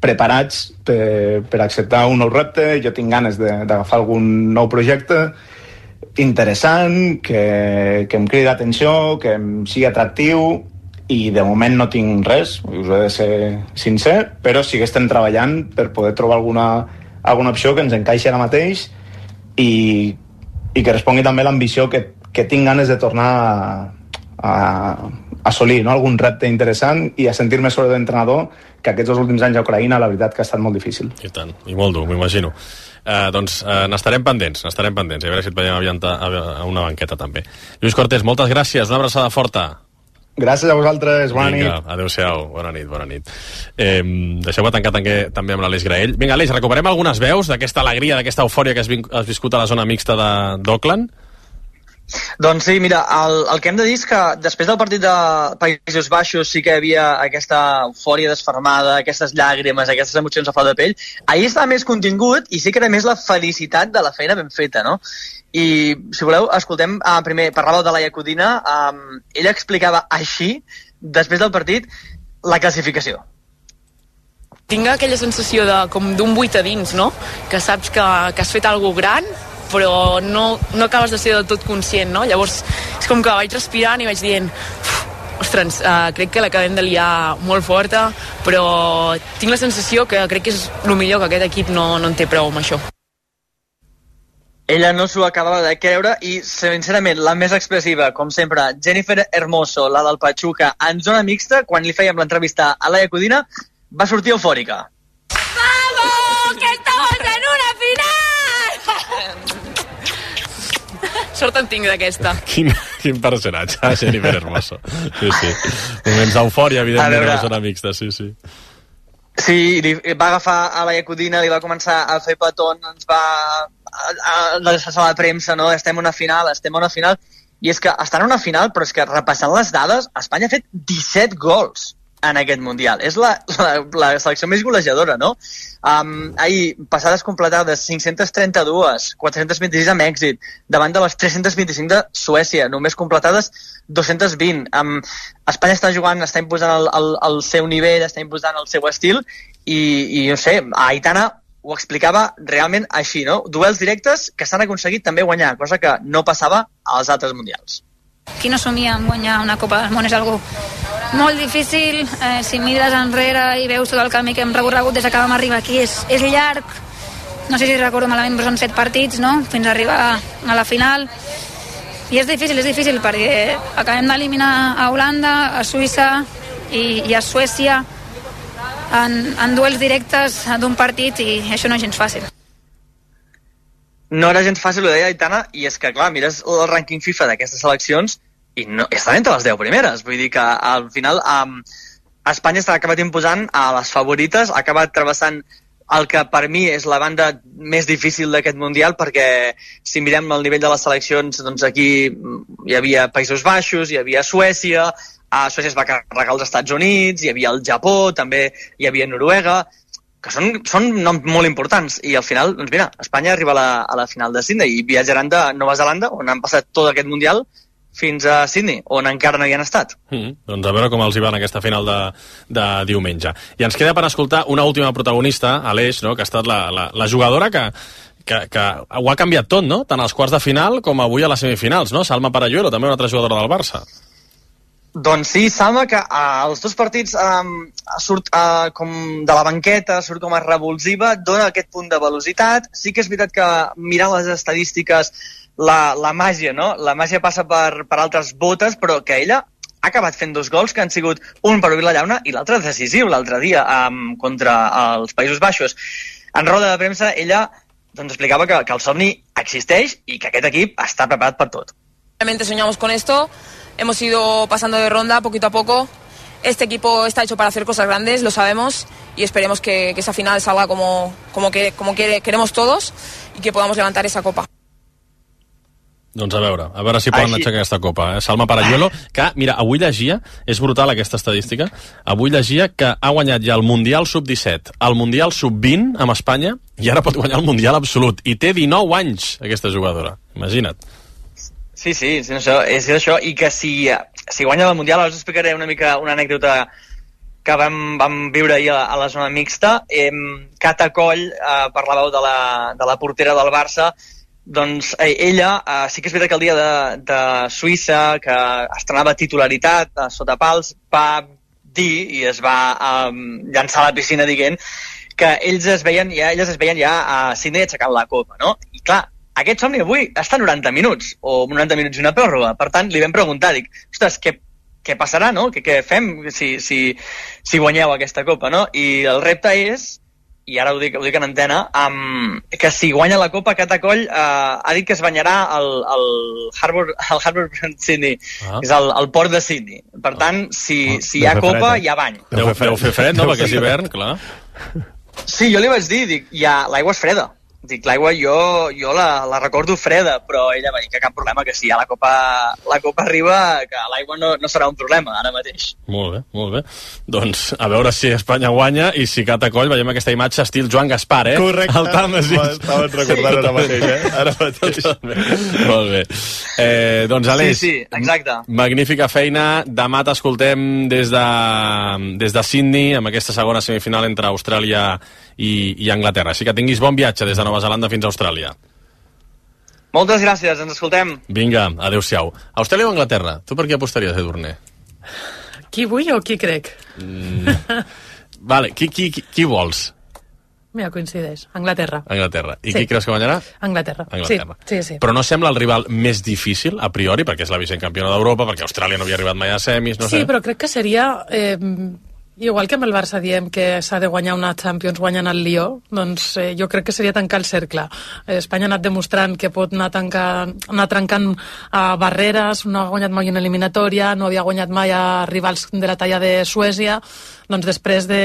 preparats per, per acceptar un nou repte. Jo tinc ganes d'agafar algun nou projecte interessant, que, que em cridi l'atenció, que em sigui atractiu, i de moment no tinc res, us he de ser sincer, però sí que estem treballant per poder trobar alguna, alguna opció que ens encaixi ara mateix i, i que respongui també l'ambició que que tinc ganes de tornar a, a, a assolir, no? Algun repte interessant i a sentir-me sobretot d'entrenador, que aquests dos últims anys a Ucraïna la veritat que ha estat molt difícil. I tant, i molt dur, m'imagino. Eh, doncs eh, n'estarem pendents, n'estarem pendents, i a veure si et veiem aviat a, a una banqueta també. Lluís Cortés, moltes gràcies, una abraçada forta. Gràcies a vosaltres, bona Vinga, nit. Adéu-siau, bona nit, bona nit. Eh, Deixeu-me tancar també, també amb l'Aleix Graell. Vinga, Aleix, recuperem algunes veus d'aquesta alegria, d'aquesta eufòria que has, has viscut a la zona mixta d'Auckland? Doncs sí, mira, el, el que hem de dir és que després del partit de Països Baixos sí que hi havia aquesta eufòria desfermada, aquestes llàgrimes, aquestes emocions a flor de pell. Ahir estava més contingut i sí que era més la felicitat de la feina ben feta, no? I, si voleu, escoltem, uh, primer, parlàveu de Laia Codina, um, ella explicava així, després del partit, la classificació. Tinc aquella sensació de, com d'un buit a dins, no? Que saps que, que has fet alguna gran, però no, no acabes de ser del tot conscient, no? Llavors és com que vaig respirant i vaig dient ostres, uh, crec que l'acabem de liar molt forta, però tinc la sensació que crec que és el millor, que aquest equip no, no en té prou amb això. Ella no s'ho acabava de creure i, sincerament, la més expressiva, com sempre, Jennifer Hermoso, la del Pachuca, en zona mixta, quan li fèiem l'entrevista a Laia Codina, va sortir eufòrica. ¡Vamos! ¡Que estamos en una final! Sort en tinc d'aquesta. Quin, quin personatge, Jennifer Hermoso. Sí, sí. Moments d'eufòria, evidentment, a la zona mixta, sí, sí. Sí, li va agafar a la Codina, li va començar a fer petons, ens va a deixar a la premsa, no? Estem en una final, estem en una final. I és que estan en una final, però és que repassant les dades, Espanya ha fet disset gols en aquest Mundial. És la, la, la selecció més golejadora, no? Um, ahir, passades completades, cinc-centes trenta-dues, quatre-centes vint-i-sis amb èxit, davant de les tres-centes vint-i-cinc de Suècia, només completades dos-centes vint. Um, Espanya està jugant, està imposant el, el, el seu nivell, està imposant el seu estil, i, i no sé, Aitana ho explicava realment així, no? Duels directes que s'han aconseguit també guanyar, cosa que no passava als altres Mundials. Qui no somia en guanyar una Copa del Món és algo molt difícil, eh, si mires enrere i veus tot el camí que hem recorregut des que vam arribar aquí, és, és llarg, no sé si recordo malament, però són set partits, no?, fins a arribar a la final, i és difícil, és difícil, perquè acabem d'eliminar a Holanda, a Suïssa i, i a Suècia en, en duels directes d'un partit, i això no és gens fàcil. No era gens fàcil, ho deia Aitana, i és que, clar, mires el rànquing FIFA d'aquestes seleccions i no, estan entre les deu primeres. Vull dir que al final um, Espanya està acabat imposant a les favorites, ha acabat travessant el que per mi és la banda més difícil d'aquest Mundial, perquè si mirem el nivell de les seleccions, doncs aquí hi havia Països Baixos, hi havia Suècia, a Suècia es va carregar els Estats Units, hi havia el Japó, també hi havia Noruega, que són, són noms molt importants, i al final, doncs mira, Espanya arriba a la, a la final de Sydney i viatjaran de Nova Zelanda, on han passat tot aquest Mundial, fins a Sydney, on encara no hi han estat. Mm, doncs a veure com els hi va en aquesta final de, de diumenge. I ens queda per escoltar una última protagonista, Aleix, no?, que ha estat la, la, la jugadora que, que, que ho ha canviat tot, no?, tant als quarts de final com avui a les semifinals, no?, Salma Paralluelo, també una altra jugadora del Barça. Doncs sí, Salma, que als dos partits um, surt uh, com de la banqueta, surt com a revulsiva, dona aquest punt de velocitat. Sí que és veritat que mirant les estadístiques, la, la màgia, no? La màgia passa per, per altres botes, però que ella ha acabat fent dos gols que han sigut un per obrir la llauna i l'altre decisiu l'altre dia um, contra els Països Baixos. En roda de premsa, ella doncs, explicava que, que el somni existeix i que aquest equip està preparat per tot. Realmente soñamos con esto. Hemos ido pasando de ronda poquito a poco. Este equipo está hecho para hacer cosas grandes, lo sabemos, y esperemos que, que esa final salga como, como, que, como que queremos todos y que podamos levantar esa copa. Doncs a veure, a veure si poden aixecar aquesta copa. Eh? Salma Paralluelo, que, mira, avui llegia, és brutal aquesta estadística, avui llegia que ha guanyat ja el Mundial sub disset, el Mundial sub vint amb Espanya, i ara pot guanyar el Mundial absolut. I té dinou anys, aquesta jugadora. Imagina't. Sí, sí, és això, és això, i que si, si guanya el Mundial, ara us explicaré una mica una anècdota que vam, vam viure ahir a, a la zona mixta. Eh, Cata Coll, eh, parlàveu de la, de la portera del Barça, doncs eh, ella, eh, sí que és veritat que el dia de, de Suïssa, que estrenava titularitat eh, sota pals, va dir i es va eh, llançar a la piscina dient que ells es veien ja, elles es veien ja a Sydney aixecant la copa, no? I clar, aquest somni avui està a noranta minuts, o noranta minuts i una pròrroga. Per tant, li vam preguntar, dic, ostres, què, què passarà, no? Què, què fem si, si, si guanyeu aquesta copa, no? I el repte és, i ara ho dic, ho dic en antena, um, que si guanya la copa, Cata Coll uh, ha dit que es banyarà al, al Harbour, al Harbour Sydney, ah. és el, el port de Sydney. Per tant, si, ah. si hi ha copa, hi ha bany. Deu fer fred, no? Perquè és hivern, clar. Sí, jo li vaig dir, dic, ja, l'aigua és freda. Dic, l'aigua jo, jo la, la recordo freda, però ella va dir que cap problema, que si ja la copa, la copa arriba, que l'aigua no, no serà un problema ara mateix. Molt bé, molt bé. Doncs a veure si Espanya guanya i si cata coll veiem aquesta imatge estil Joan Gaspar, eh? Correcte. El Tàmesi. Estava recordant ara mateix, eh? Ara mateix. Molt bé. Eh, doncs, Aleix, sí, sí, exacte. Magnífica feina. Demà t'escoltem des de, des de Sydney, amb aquesta segona semifinal entre Austràlia i, i Anglaterra. Així que tinguis bon viatge des de Nova Zelanda fins a Austràlia. Moltes gràcies, ens escoltem. Vinga, adeu-siau. Austràlia o Anglaterra? Tu per qui apostaries, Edurne? Qui vull o qui crec? Mm. Vale, qui, qui, qui, qui vols? Mira, coincideix. Anglaterra. Anglaterra. I Sí. qui creus que guanyarà? Anglaterra. Anglaterra. Sí, sí, sí. Però no sembla el rival més difícil, a priori, perquè és la vicent campiona d'Europa, perquè Austràlia no havia arribat mai a semis, no sí, sé. però crec que seria... Eh, igual que amb el Barça diem que s'ha de guanyar una Champions guanyant el Lió, doncs eh, jo crec que seria tancar el cercle. Eh, Espanya ha anat demostrant que pot anar, tancant, anar trencant uh, barreres, no ha guanyat mai una eliminatòria, no havia guanyat mai a rivals de la talla de Suècia, doncs després de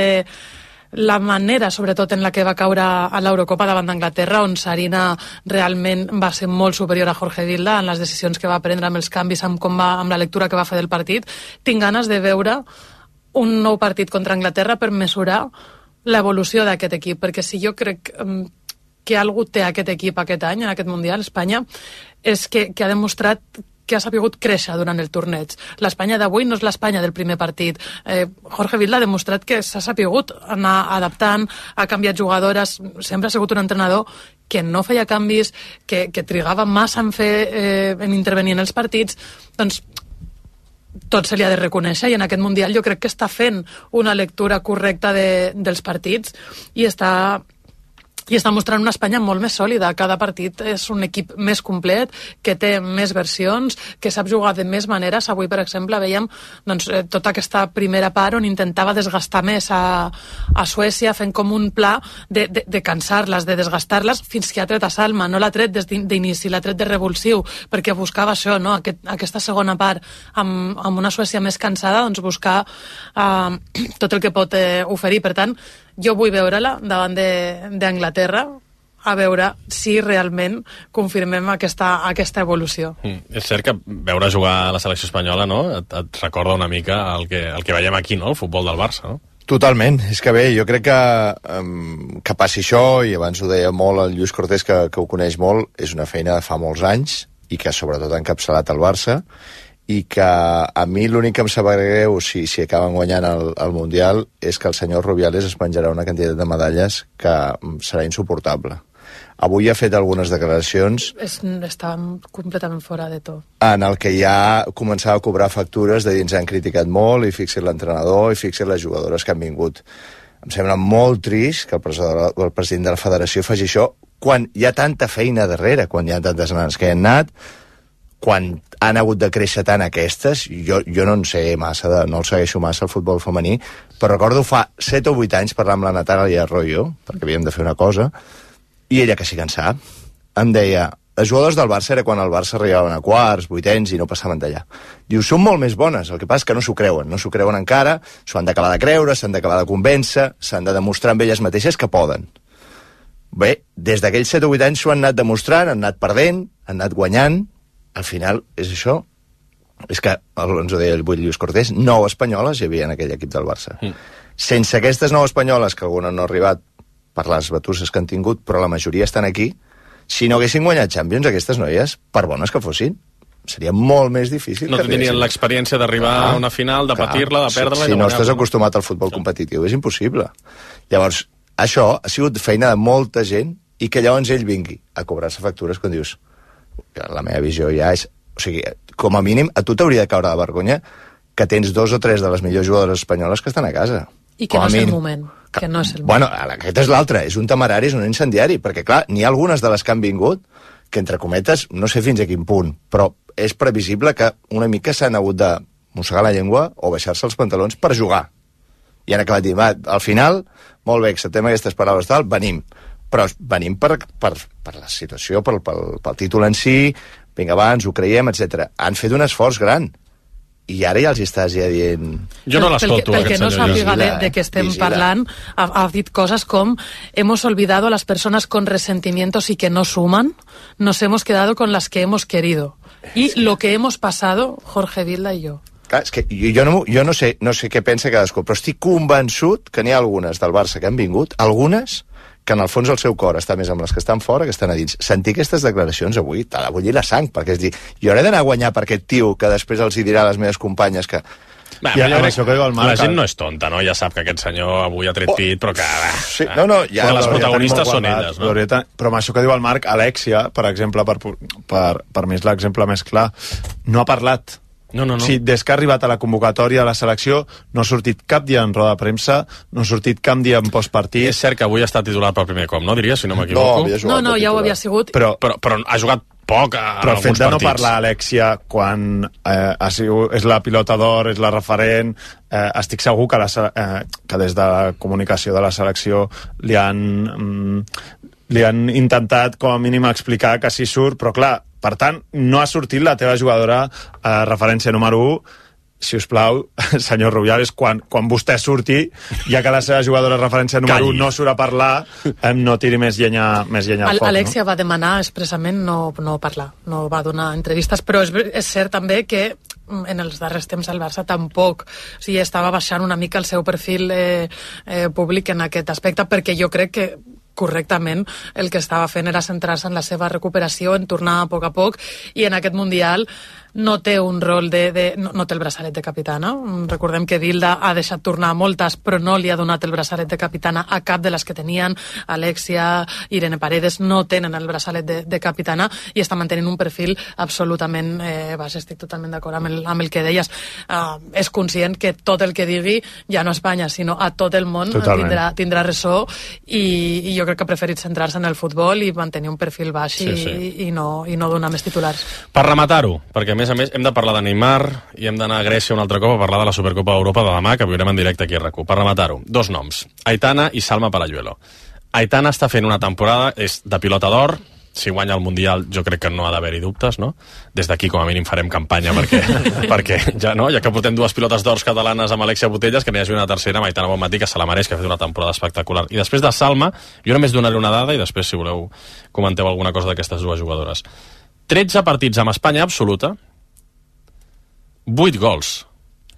la manera, sobretot, en la que va caure a l'Eurocopa davant d'Anglaterra, on Sarina realment va ser molt superior a Jorge Vilda en les decisions que va prendre, amb els canvis, amb, com va, amb la lectura que va fer del partit. Tinc ganes de veure un nou partit contra Anglaterra per mesurar l'evolució d'aquest equip, perquè si jo crec um, que algú té aquest equip aquest any, en aquest Mundial, Espanya, és que, que ha demostrat que ha sabut créixer durant el torneig. L'Espanya d'avui no és l'Espanya del primer partit. Eh, Jorge Vilda ha demostrat que s'ha sabut anar adaptant, ha canviat jugadores, sempre ha sigut un entrenador que no feia canvis, que, que trigava massa en, fer, eh, en intervenir en els partits. Doncs tot se li ha de reconèixer, i en aquest Mundial jo crec que està fent una lectura correcta de, dels partits i està, i està mostrant una Espanya molt més sòlida. Cada partit és un equip més complet, que té més versions, que sap jugar de més maneres. Avui, per exemple, veiem doncs, tota aquesta primera part on intentava desgastar més a, a Suècia, fent com un pla de, de, de cansar-les, de desgastar-les, fins que ha tret a Salma. No l'ha tret des d'inici, l'ha tret de revulsiu, perquè buscava això, no? Aquest, aquesta segona part, amb, amb una Suècia més cansada, doncs buscar uh, tot el que pot eh, oferir. Per tant, jo vull veure-la davant d'Anglaterra, a veure si realment confirmem aquesta, aquesta evolució. Mm. És cert que veure jugar a la selecció espanyola, no?, et, et recorda una mica el que, el que veiem aquí, no?, el futbol del Barça, no? Totalment, és que bé, jo crec que um, que passi això, i abans ho deia molt el Lluís Cortés, que, que ho coneix molt, és una feina de fa molts anys, i que sobretot ha encapçalat el Barça, i que a mi l'únic que em sap greu si, si acaben guanyant el, el Mundial és que el senyor Rubiales es penjarà una quantitat de medalles que serà insuportable. Avui ha fet algunes declaracions És, estàvem completament fora de tot. en el que ja començava a cobrar factures de dir ens han criticat molt, i fixi l'entrenador, i fixi les jugadores que han vingut. Em sembla molt trist que el president, el president de la federació faci això quan hi ha tanta feina darrere, quan hi ha tantes nanes que hi han anat, quan han hagut de créixer tant aquestes. Jo, jo no en sé massa, de, no el segueixo massa el futbol femení, però recordo fa set o vuit anys parlar amb la Natàlia Arroyo, perquè havíem de fer una cosa, i ella, que sí que en sap, em deia, els jugadors del Barça era quan el Barça arribaven a quarts, vuitens i no passaven d'allà. Diu, són molt més bones, el que passa és que no s'ho creuen, no s'ho creuen encara, s'ho han d'acabar de creure, s'han d'acabar de convèncer, s'han de demostrar amb elles mateixes que poden. Bé, des d'aquells set o vuit anys s'ho han anat demostrant, han anat perdent, han anat guanyant. Al final, és això. És que, ens ho deia el Lluís Cortés, nou espanyoles hi havia en aquell equip del Barça. Mm. Sense aquestes nou espanyoles, que alguna no ha arribat per les batusses que han tingut, però la majoria estan aquí, si no haguessin guanyat Champions, aquestes noies, per bones que fossin, seria molt més difícil. No tenien l'experiència d'arribar ah, a una final, de patir-la, de perdre-la... Si, si no estàs acostumat al futbol competitiu, és impossible. Llavors, això ha sigut feina de molta gent, i que llavors ell vingui a cobrar-se factures quan dius... La meva visió ja és... O sigui, com a mínim, a tu t'hauria de caure de vergonya que tens dos o tres de les millors jugadores espanyoles que estan a casa. I que no és el moment. Que no és el moment. Bueno, aquest és l'altre. És un temerari, és un incendiari, perquè, clar, n'hi ha algunes de les que han vingut que, entre cometes, no sé fins a quin punt, però és previsible que una mica s'han hagut de mossegar la llengua o baixar-se els pantalons per jugar. I han acabat dient, va, al final, molt bé, acceptem aquestes paraules tal, venim. Però venim per, per, per la situació, pel, pel, pel títol en si, vinga, va, ens ho creiem, etcètera. Han fet un esforç gran. i ara ja els estàs ja dient... Jo no l'escolto, pel que no sàpiga de, de què estem vigila. parlant, ha, ha dit coses com hemos olvidado a las personas con resentimientos y que no suman, nos hemos quedado con las que hemos querido. Y sí. Lo que hemos pasado, Jorge Vilda y yo. Clar, és que jo, no, jo no, sé, no sé què pensa cadascú, però estic convençut que n'hi ha algunes del Barça que han vingut, algunes que en el fons el seu cor està més amb les que estan fora que estan a dins. Sentir aquestes declaracions avui t'ha de bullir la sang, perquè és dir, jo hauré d'anar a guanyar per aquest tio que després els hi dirà a les meves companyes que... Bé, ja, jo crec que el Marc, la gent no és tonta, no? Ja sap que aquest senyor avui ha tret oh, pit, però que... Sí, no, no, ja... Les protagonistes són elles, no? Però amb això que diu el Marc, Alexia, per exemple, per, per, per mi és l'exemple més clar, no ha parlat. No, no, no. Sí, des que ha arribat a la convocatòria a la selecció no ha sortit cap dia en roda de premsa, no ha sortit cap dia en postpartit. És cert que avui ha estat titular per primer cop, no diria, si no m'equivoco? No, no, no, ja ho havia sigut. Però, però, però ha jugat poc a, però en alguns partits. Però el fet de no parlar, Alexia, quan eh, ha sigut, és la pilota d'or, és la referent, eh, estic segur que, la, eh, que des de la comunicació de la selecció li han, mm, li han intentat com a mínim explicar que sí surt, però clar, per tant, no ha sortit la teva jugadora eh, referència número u. Si us plau, senyor Rubiales, quan, quan vostè surti, ja que la seva jugadora referència número un no surt a parlar, eh, no tiri més llenya, més llenya al foc. Alexia no? va demanar expressament no, no parlar, no va donar entrevistes, però és, és cert també que en els darrers temps el Barça tampoc, o sigui, estava baixant una mica el seu perfil eh, eh, públic en aquest aspecte, perquè jo crec que correctament el que estava fent era centrar-se en la seva recuperació, en tornar a poc a poc, i en aquest Mundial no té un rol de... de no, no té el braçalet de capitana. Recordem que Vilda ha deixat tornar moltes, però no li ha donat el braçalet de capitana a cap de les que tenien. Alexia, Irene Paredes no tenen el braçalet de, de capitana i està mantenint un perfil absolutament eh, baix. Estic totalment d'acord amb, el, amb el que deies. Uh, és conscient que tot el que digui, ja no a Espanya, sinó a tot el món, tindrà, tindrà ressò, i, i jo crec que ha preferit centrar-se en el futbol i mantenir un perfil baix sí, i, sí. I, no, i no donar més titulars. Per rematar-ho, perquè a més a més hem de parlar de Neymar i hem d'anar a Grècia un altre cop a parlar de la Supercopa d'Europa de demà, que viurem en directe aquí a RAC u. Per rematar-ho, dos noms, Aitana i Salma Paralluelo. Aitana està fent una temporada, és de pilota d'or, si guanya el Mundial jo crec que no ha d'haver-hi dubtes, no? Des d'aquí com a mínim farem campanya perquè, perquè ja, no? ja que portem dues pilotes d'ors catalanes amb Alexia Putellas, que n'hi hagi una tercera amb Aitana Bonmatí, que se la mereix, que ha fet una temporada espectacular. I després de Salma, jo només donaré una dada i després, si voleu, comenteu alguna cosa d'aquestes dues jugadores. tretze partits amb Espanya absoluta, vuit gols.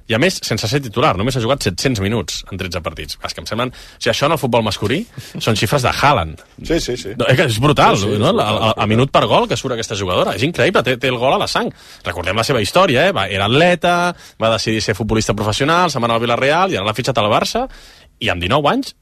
I a més, sense ser titular, només ha jugat set-cents minuts en tretze partits. És que em semblen... O sigui, això en el futbol masculí són xifres de Haaland. Sí, sí, sí. No, és brutal, sí, sí, no? Sí, a, a, a minut per gol que surt aquesta jugadora. És increïble, té, té el gol a la sang. Recordem la seva història, eh? Va, era atleta, va decidir ser futbolista professional, se'n va anar al Villarreal i ara l'ha fitxat al Barça. I amb dinou anys,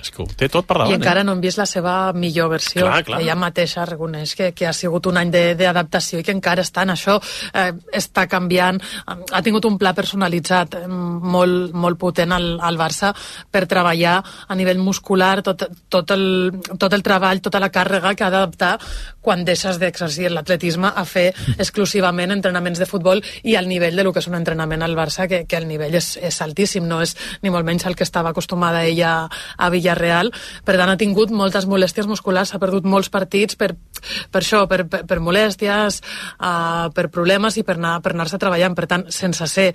és que ho té tot per davant. I encara eh? no hem vist la seva millor versió. Clar, clar. Ella mateixa reconeix que, que ha sigut un any d'adaptació i que encara està en això, eh, està canviant, ha tingut un pla personalitzat eh, molt, molt potent al, al Barça per treballar a nivell muscular tot, tot, el, tot el treball, tota la càrrega que ha d'adaptar quan deixes d'exercir l'atletisme a fer exclusivament entrenaments de futbol i al nivell de lo que és un entrenament al Barça, que, que el nivell és, és altíssim, no és ni molt menys el que estava acostumat de ella a Villarreal. Per tant, ha tingut moltes molèsties musculars, ha perdut molts partits per, per això, per, per, per molèsties, uh, per problemes i per anar, per anar-se treballant. Per tant, sense ser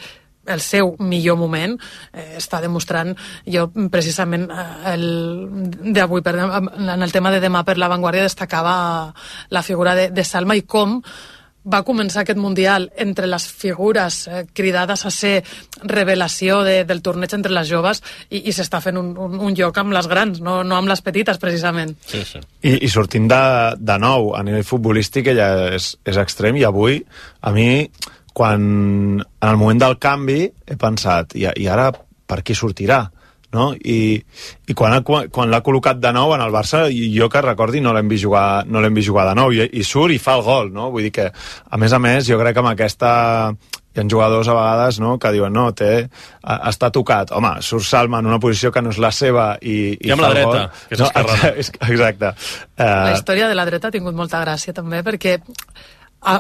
el seu millor moment, eh, està demostrant, jo precisament eh, el d'avui, en el tema de demà per La Vanguardia, destacava la figura de, de Salma i com va començar aquest Mundial entre les figures eh, cridades a ser revelació de, del torneig entre les joves i, i s'està fent un, un, un lloc amb les grans, no, no amb les petites, precisament. Sí, sí. I, i sortint de, de nou a nivell futbolístic, ella és, és extrem, i avui, a mi, quan en el moment del canvi he pensat, i, i ara per qui sortirà? No? I, i quan, ha, quan l'ha col·locat de nou en el Barça, jo que recordi no l'hem vist jugar, no l'hem vist jugar de nou, i, i surt i fa el gol, no? Vull dir que, a més a més, jo crec que amb aquesta hi ha jugadors a vegades, no?, que diuen, no, té, està tocat. Home, surt Salma en una posició que no és la seva i, i, I amb fa la el dreta, gol. que és esquerrana. No, exacte. La Uh, història de la dreta ha tingut molta gràcia també, perquè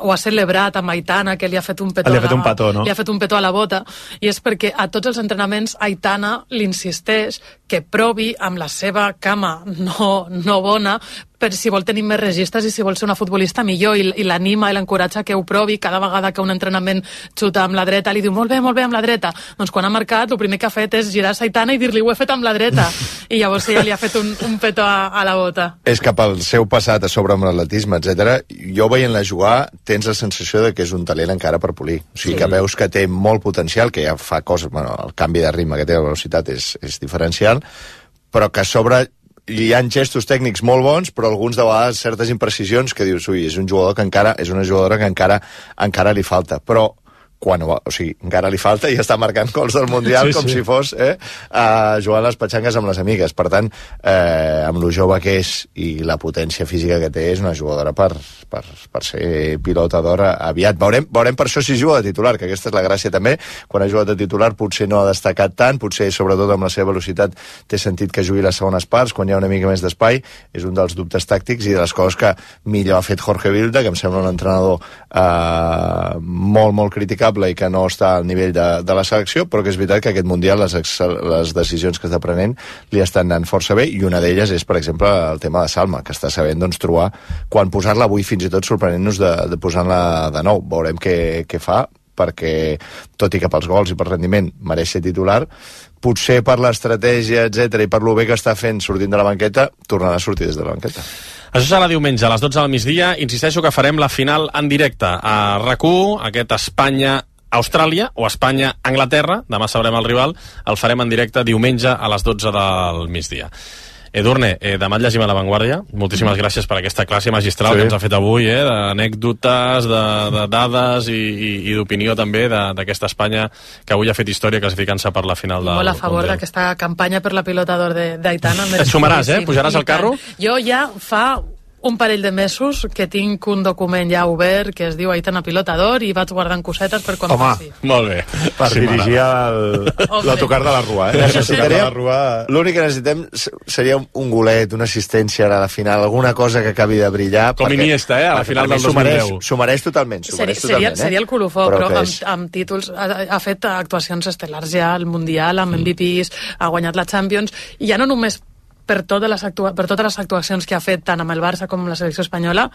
ho ha celebrat amb Aitana, que li ha fet un petó, li ha fet un petó, no? li ha fet un petó a la bota, i és perquè a tots els entrenaments Aitana l'insisteix que provi amb la seva cama no, no bona per si vol tenir més registres i si vol ser una futbolista millor, i, i l'anima i l'encoratja que ho provi. Cada vegada que un entrenament xuta amb la dreta li diu molt bé, molt bé amb la dreta. Doncs quan ha marcat el primer que ha fet és girar-se a Aitana i dir-li ho he fet amb la dreta, i llavors ella li ha fet un, un petó a, a la bota. És que pel seu passat a sobre amb l'atletisme, etcètera, jo veient-la jugar tens la sensació de que és un talent encara per polir, o sigui, sí. que veus que té molt potencial, que ja fa coses, bueno, el canvi de ritme que té, la velocitat és, és diferencial, però que a sobre hi ha gestos tècnics molt bons, però alguns de vegades certes imprecisions que dius, ui, és un jugador que encara, és una jugadora que encara encara li falta, però quan, o sigui, encara li falta i està marcant gols del Mundial sí, com sí. si fos eh, uh, jugant les petxangues amb les amigues. Per tant, eh, amb lo jove que és i la potència física que té, és una jugadora per, per, per ser pilota d'or aviat. Veurem, veurem per això si juga de titular, que aquesta és la gràcia també. Quan ha jugat de titular potser no ha destacat tant, potser sobretot amb la seva velocitat té sentit que jugui les segones parts, quan hi ha una mica més d'espai, és un dels dubtes tàctics i de les coses que millor ha fet Jorge Vilda, que em sembla un entrenador eh, molt, molt criticable i que no està al nivell de, de la selecció, però que és veritat que aquest Mundial les, les decisions que està prenent li estan anant força bé, i una d'elles és, per exemple, el tema de Salma, que està sabent doncs, trobar quan posar-la avui, fins i tot sorprenent-nos de, de posar-la de nou. Veurem què, què fa, perquè tot i que pels gols i per rendiment mereix ser titular, potser per l'estratègia, etcètera, i per lo bé que està fent sortint de la banqueta, tornarà a sortir des de la banqueta. Això serà diumenge a les dotze del migdia. Insisteixo que farem la final en directe a RAC u, aquest Espanya-Austràlia o Espanya-Anglaterra, demà sabrem el rival, el farem en directe diumenge a les dotze del migdia. Edurne, eh, demà et llegim a La Vanguardia. Moltíssimes mm. gràcies per aquesta classe magistral sí. que ens ha fet avui, eh, d'anècdotes, de, de dades i, i, i d'opinió també d'aquesta Espanya que avui ha fet història classificant-se per la final del Molt a favor d'aquesta campanya per la pilota d'or d'Aitana. Et sumaràs, eh? Pujaràs al carro? Jo ja fa un parell de mesos que tinc un document ja obert que es diu Aitana Pilota d'Or i vaig guardant cosetes per quan Home, passi. Molt bé. Per sí, dirigir l'autocar de la Rua. Eh? Rua... L'únic que necessitem seria un golet, una assistència a la final, alguna cosa que acabi de brillar. Com perquè, Iniesta, eh? A la final del dos mil deu. S'ho mereix totalment. Seria, seria, eh? seria el colofó, però, però amb, amb títols. Ha, ha fet actuacions estel·lars ja al Mundial, amb M V Ps, ha guanyat la Champions, i ja no només per totes les, actua per totes les actuacions que ha fet tant amb el Barça com amb la selecció espanyola,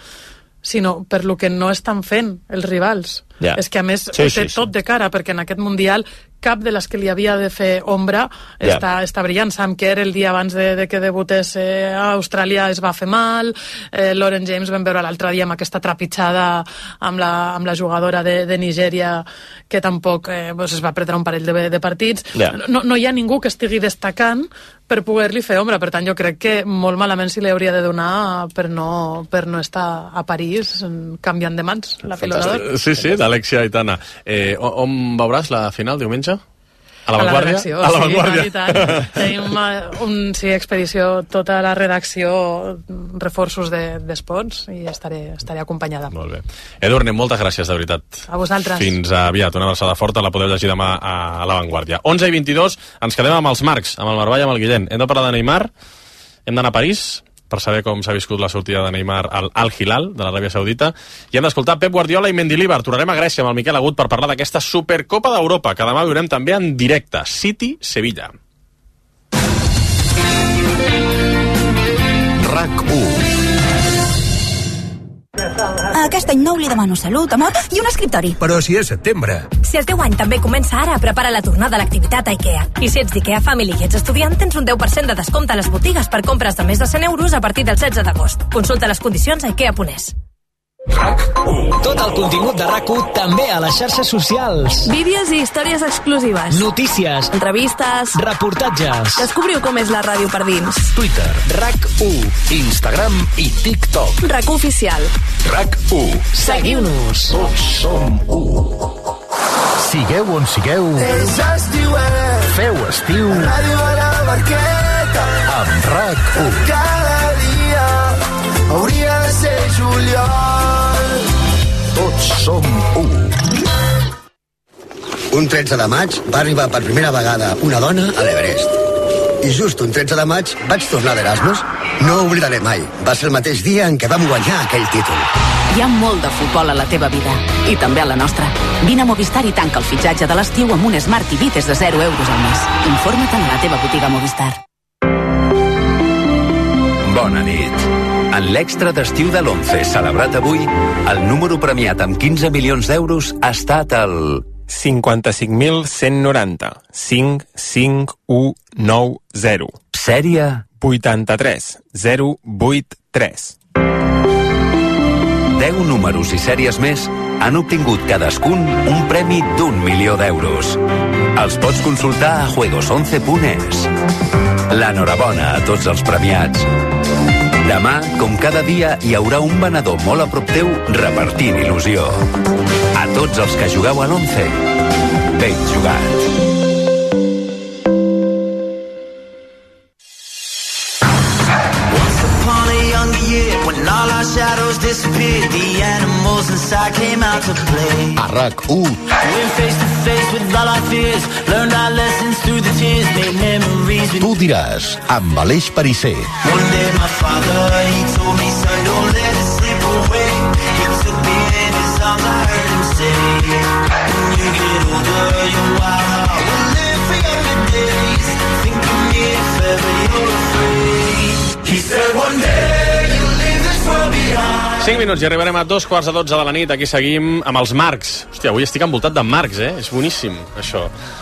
sinó per lo que no estan fent els rivals. Yeah. És que a més sí, té sí, tot sí. de cara, perquè en aquest Mundial cap de les que li havia de fer ombra yeah. està, està brillant. Sam Kerr el dia abans de, de que debutés eh, a Austràlia es va fer mal, eh, Lauren James vam veure l'altre dia amb aquesta trepitjada amb la, amb la jugadora de, de Nigèria que tampoc eh, pues es va perdre un parell de, de partits. Yeah. No, no hi ha ningú que estigui destacant per poder-li fer ombra, per tant jo crec que molt malament si li hauria de donar per no, per no estar a París canviant de mans la pilota d'or. Sí, sí, d'Alexia Aitana. Eh, on veuràs la final diumenge? A la Vanguardia? A la, a la sí, Vanguardia. I tant, i tant. Tenim un, sí, expedició, tota la redacció, reforços d'espots, de, i estaré, estaré acompanyada. Molt bé. Edurne, moltes gràcies, de veritat. A vosaltres. Fins aviat. Una abraçada forta, la podeu llegir demà a, a la Vanguardia. onze i vint-i-dos, ens quedem amb els Marcs, amb el Marvall i amb el Guillem. Hem de parlar de Neymar, hem d'anar a París per saber com s'ha viscut la sortida de Neymar al Al-Hilal, de l'Aràbia Saudita, i hem d'escoltar Pep Guardiola i Mendilibar. Tornarem a Grècia amb el Miquel Agut per parlar d'aquesta Supercopa d'Europa, que demà veurem també en directe. City-Sevilla. RAC u. Aquest any nou li demano salut, amor i un escriptori. Però si és setembre. Si el teu any també comença ara, prepara la tornada a l'activitat a IKEA. I si ets d'IKEA Family i ets estudiant, tens un deu per cent de descompte a les botigues per compres de més de cent euros a partir del setze d'agost. Consulta les condicions a ikea punt es. Tot el contingut de RAC u també a les xarxes socials. Vídeos i històries exclusives. Notícies. Entrevistes. Reportatges. Descobriu com és la ràdio per dins. Twitter, RAC u, Instagram i TikTok. RAC u Oficial. RAC u. Seguiu-nos. Tots som u. Sigueu on sigueu. Feu estiu. Ràdio a la Barqueta. Amb RAC u. Cada dia hauria de ser juliol. Tots som u. Un tretze de maig va arribar per primera vegada una dona a l'Everest. I just un tretze de maig vaig tornar d'Erasmus. No ho oblidaré mai. Va ser el mateix dia en què vam guanyar aquell títol. Hi ha molt de futbol a la teva vida, i també a la nostra. Vine a Movistar i tanca el fitxatge de l'estiu amb un Smart T V des de zero euros al mes. Informa't a la teva botiga Movistar. Bona nit. En l'extra d'estiu de l'onze, celebrat avui, el número premiat amb quinze milions d'euros ha estat el... cinquanta-cinc mil cent noranta. cinc cinc u nou zero. Sèrie? vuitanta-tres zero vuit tres. deu números i sèries més han obtingut cadascun un premi d'un milió d'euros. Els pots consultar a juegos once punt es. L'enhorabona a tots els premiats. Demà, com cada dia, hi haurà un venedor molt a prop teu repartint il·lusió. A tots els que jugueu a l'onze, ben jugat. When all our shadows disappeared, the animals inside came out to play. A RAC u. Went face to face with all our fears, learned our lessons through the tears, made memories. Tu diràs, amb Aleix Perisser. One day my father, he told me, son, don't let it slip away. He took me in his arms, I heard him say, when you get older, your wild heart will live for younger days. Think of me if ever you're afraid. He said one day cinc minuts i arribarem a dos quarts de dotze de la nit. Aquí seguim amb els Marcs. Hòstia, avui estic envoltat de Marcs, eh? És boníssim, això.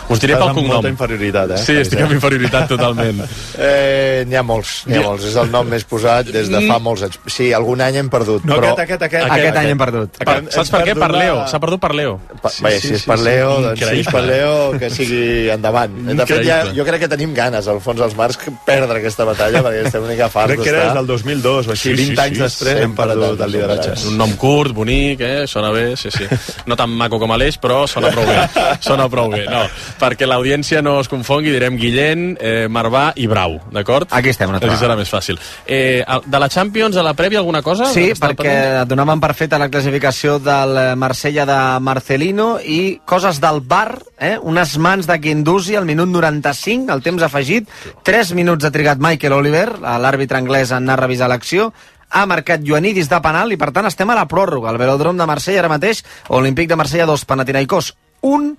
Us diré pel cognom. Molta inferioritat, eh? Sí, estic amb inferioritat totalment. Eh, n'hi ha molts, n'hi ha molts. És el nom més posat des de fa molts anys. Sí, algun any hem perdut, no, però... Aquest, aquest, aquest. Aquest, aquest any hem perdut. Per, saps per què? Per Leo. S'ha perdut per Leo. Pa, sí, vaja, si és per Leo, sí, doncs si és per Leo, que sigui endavant. De fet, ja, jo crec que tenim ganes, al fons, els Marcs, perdre aquesta batalla, perquè estem una mica farts d'estar. Crec que era des del dos mil dos, o així, vint anys després hem perdut el lideratge. Un nom curt, bonic, eh? Sona bé, sí, sí. No tan maco com Aleix, però sona prou bé. Sona prou bé, no. Perquè l'audiència no es confongui, direm Guillén, eh, Marvà i Brau, d'acord? Aquí estem, una altra. Així serà més fàcil. Eh, de la Champions a la prèvia, alguna cosa? Sí, perquè donaven per feta la classificació del Marsella de Marcelino i coses del V A R, eh? Unes mans de Guendouzi al minut noranta-cinc, el temps afegit, tres minuts ha trigat Michael Oliver, l'àrbitre anglès, en anar a revisar l'acció, ha marcat Ioannidis de penal i per tant estem a la pròrroga. El Velòdrom de Marsella ara mateix, Olímpic de Marsella dos, Panathinaikos un,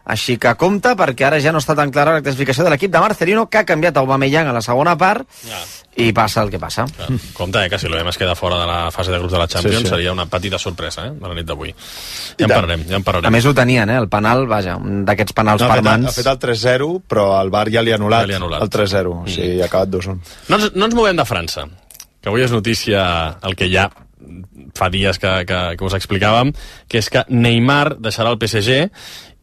així que compte perquè ara ja no està tan clara la classificació de l'equip de Marcelino, que ha canviat Aubameyang a la segona part ja. I passa el que passa. Ja. Compte, eh, que si l'O M es queda fora de la fase de grups de la Champions sí, sí. Seria una petita sorpresa, eh, de la nit d'avui. Ja en parlarem, ja en parlarem. A més ho tenien, eh, el penal, vaja, un d'aquests penals no, parmants. Ha fet el tres zero, però el V A R ja li ha anul·lat, ja li ha anul·lat. El tres zero, mm. O sigui, ha acabat dos un. No ens, no ens movem de França, que avui és notícia el que ja fa dies que, que, que us explicàvem, que és que Neymar deixarà el P S G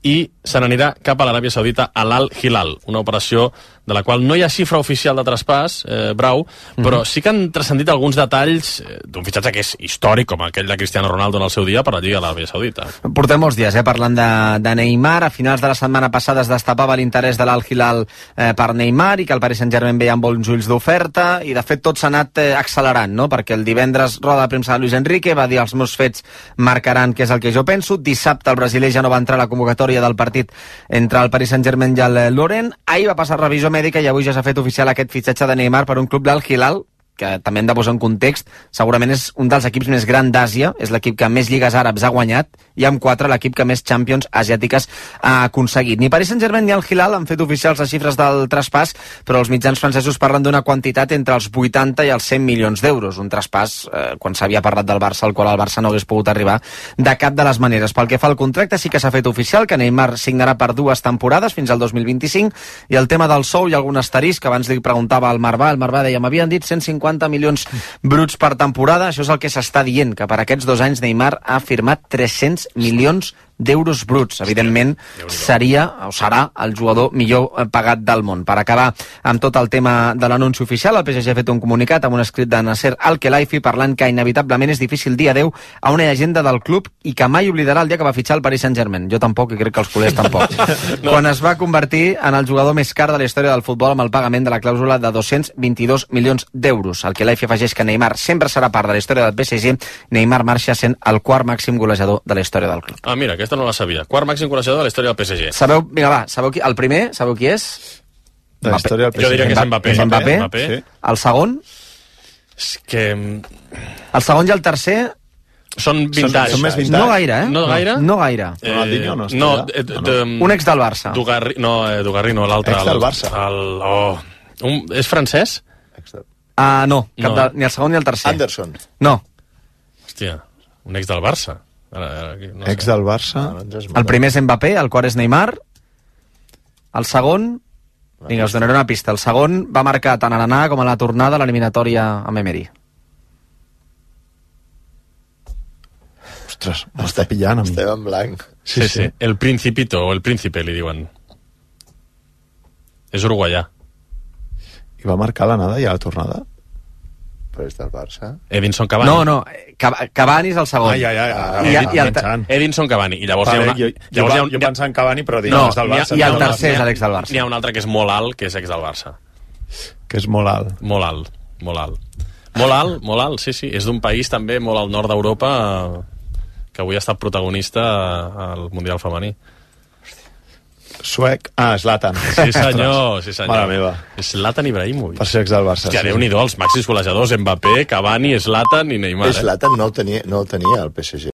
i se n'anirà cap a l'Aràbia Saudita a l'Al Hilal, una operació de la qual no hi ha xifra oficial de traspàs, eh, Brau, però mm-hmm. sí que han transcendit alguns detalls eh, d'un fitxatge que és històric, com aquell de Cristiano Ronaldo en el seu dia per la Lliga de l'Aràbia Saudita. Portem molts dies eh, parlant de, de Neymar. A finals de la setmana passada es destapava l'interès de l'Al Hilal eh, per Neymar i que el Paris Saint-Germain veia amb bons ulls d'oferta i de fet tot s'ha anat eh, accelerant, no? Perquè el divendres roda de premsa de Luis Enrique va dir els meus fets marcaran què és el que jo penso. Dissabte el brasiler ja no va entrar a la convocatòria del partit entre el Paris Saint-Germain i el Lorient. Ahir va passar revisió mèdica i avui ja s'ha fet oficial aquest fitxatge de Neymar per un club d'Al Hilal, que també hem de posar en context, segurament és un dels equips més grans d'Àsia, és l'equip que més lligues àrabs ha guanyat, i amb quatre l'equip que més Champions asiàtiques ha aconseguit. Ni Paris Saint-Germain ni el Hilal han fet oficials les xifres del traspàs, però els mitjans francesos parlen d'una quantitat entre els vuitanta i els cent milions d'euros, un traspàs, eh, quan s'havia parlat del Barça, al qual el Barça no hagués pogut arribar de cap de les maneres. Pel que fa al contracte, sí que s'ha fet oficial que Neymar signarà per dues temporades, fins al dos mil vint-i-cinc, i el tema del sou hi ha algun asterisc, que abans li preguntava al Marvà, el Marvà deia, m'havien dit cent cinquanta milions bruts per temporada, això és el que s'està dient, que per aquests dos anys Neymar ha firmat tres-cents milions d'euros bruts. Evidentment seria o serà el jugador millor pagat del món. Per acabar amb tot el tema de l'anunci oficial, el P S G ha fet un comunicat amb un escrit de Nasser Al-Khelaifi parlant que inevitablement és difícil dir adeu a una llegenda del club i que mai oblidarà el dia que va fitxar el Paris Saint-Germain. Jo tampoc, i crec que els culers tampoc. No. Quan es va convertir en el jugador més car de la història del futbol amb el pagament de la clàusula de dos-cents vint-i-dos milions d'euros. Al-Khelaifi afegeix que Neymar sempre serà part de la història del P S G. Neymar marxa sent el quart màxim golejador de la història del club. Ah, mira, aquesta no la sabia. Quart màxim golejador de la història del P S G. Sabeu, vinga, va, sabeu qui? El primer, sabeu qui és? De la història del P S G. Jo diria que és Mbappé. És Mbappé. Mbappé. Sí. El segon? És que... El segon i el tercer... Són vintage. Són, són més vintage. No gaire, eh? No gaire? No gaire. Eh, Ronaldinho no? No, de, de, de, un ex del Barça. Dugarri, no, eh, Dugarri no, l'altre. Ex del Barça. El, oh, un, és francès? Ah, no, cap No. de, ni el segon ni el tercer. Anderson. No. Hòstia, un ex del Barça. Ara, ara, aquí, no Ex del Barça. El primer és Mbappé, el quart és Neymar. El segon... Vinga, us donaré una pista. El segon va marcar tant a l'anar com a la tornada a l'eliminatòria amb Emery. Ostres, m'està pillant a mi. Estem en blanc. Sí, sí, sí. El Principito, o el Príncipe, li diuen. És uruguaià. I va marcar l'anada i a la tornada? Però és del Barça. Edinson Cavani. No, no, Cav- Cavani és el segon. Ah, ja, ja, ja. I, i, i el, pensant. Edinson Cavani. I llavors Vale, hi ha una... jo, jo, llavors hi ha un- jo pensava en Cavani, però dic, No, no, és del n'hi ha- Barça. i el no, no, tercer és N'hi ha- l'ex del Barça. N'hi ha un altre que és molt alt, que és ex del Barça. Que és molt alt. Molt alt, molt alt. Molt alt, molt alt, sí, sí. És d'un país també molt al nord d'Europa eh, que avui ha estat protagonista al Mundial Femení. Suec. Ah, Zlatan. Sí, senyor, sí, senyor. Mare meva. És Zlatan Ibrahimovic. Per ser ex del Barça. Hòstia, sí. Déu-n'hi-do, els màxims golejadors, Mbappé, Cavani, Zlatan i Neymar. Eh? Zlatan no el tenia, no el tenia al P S G.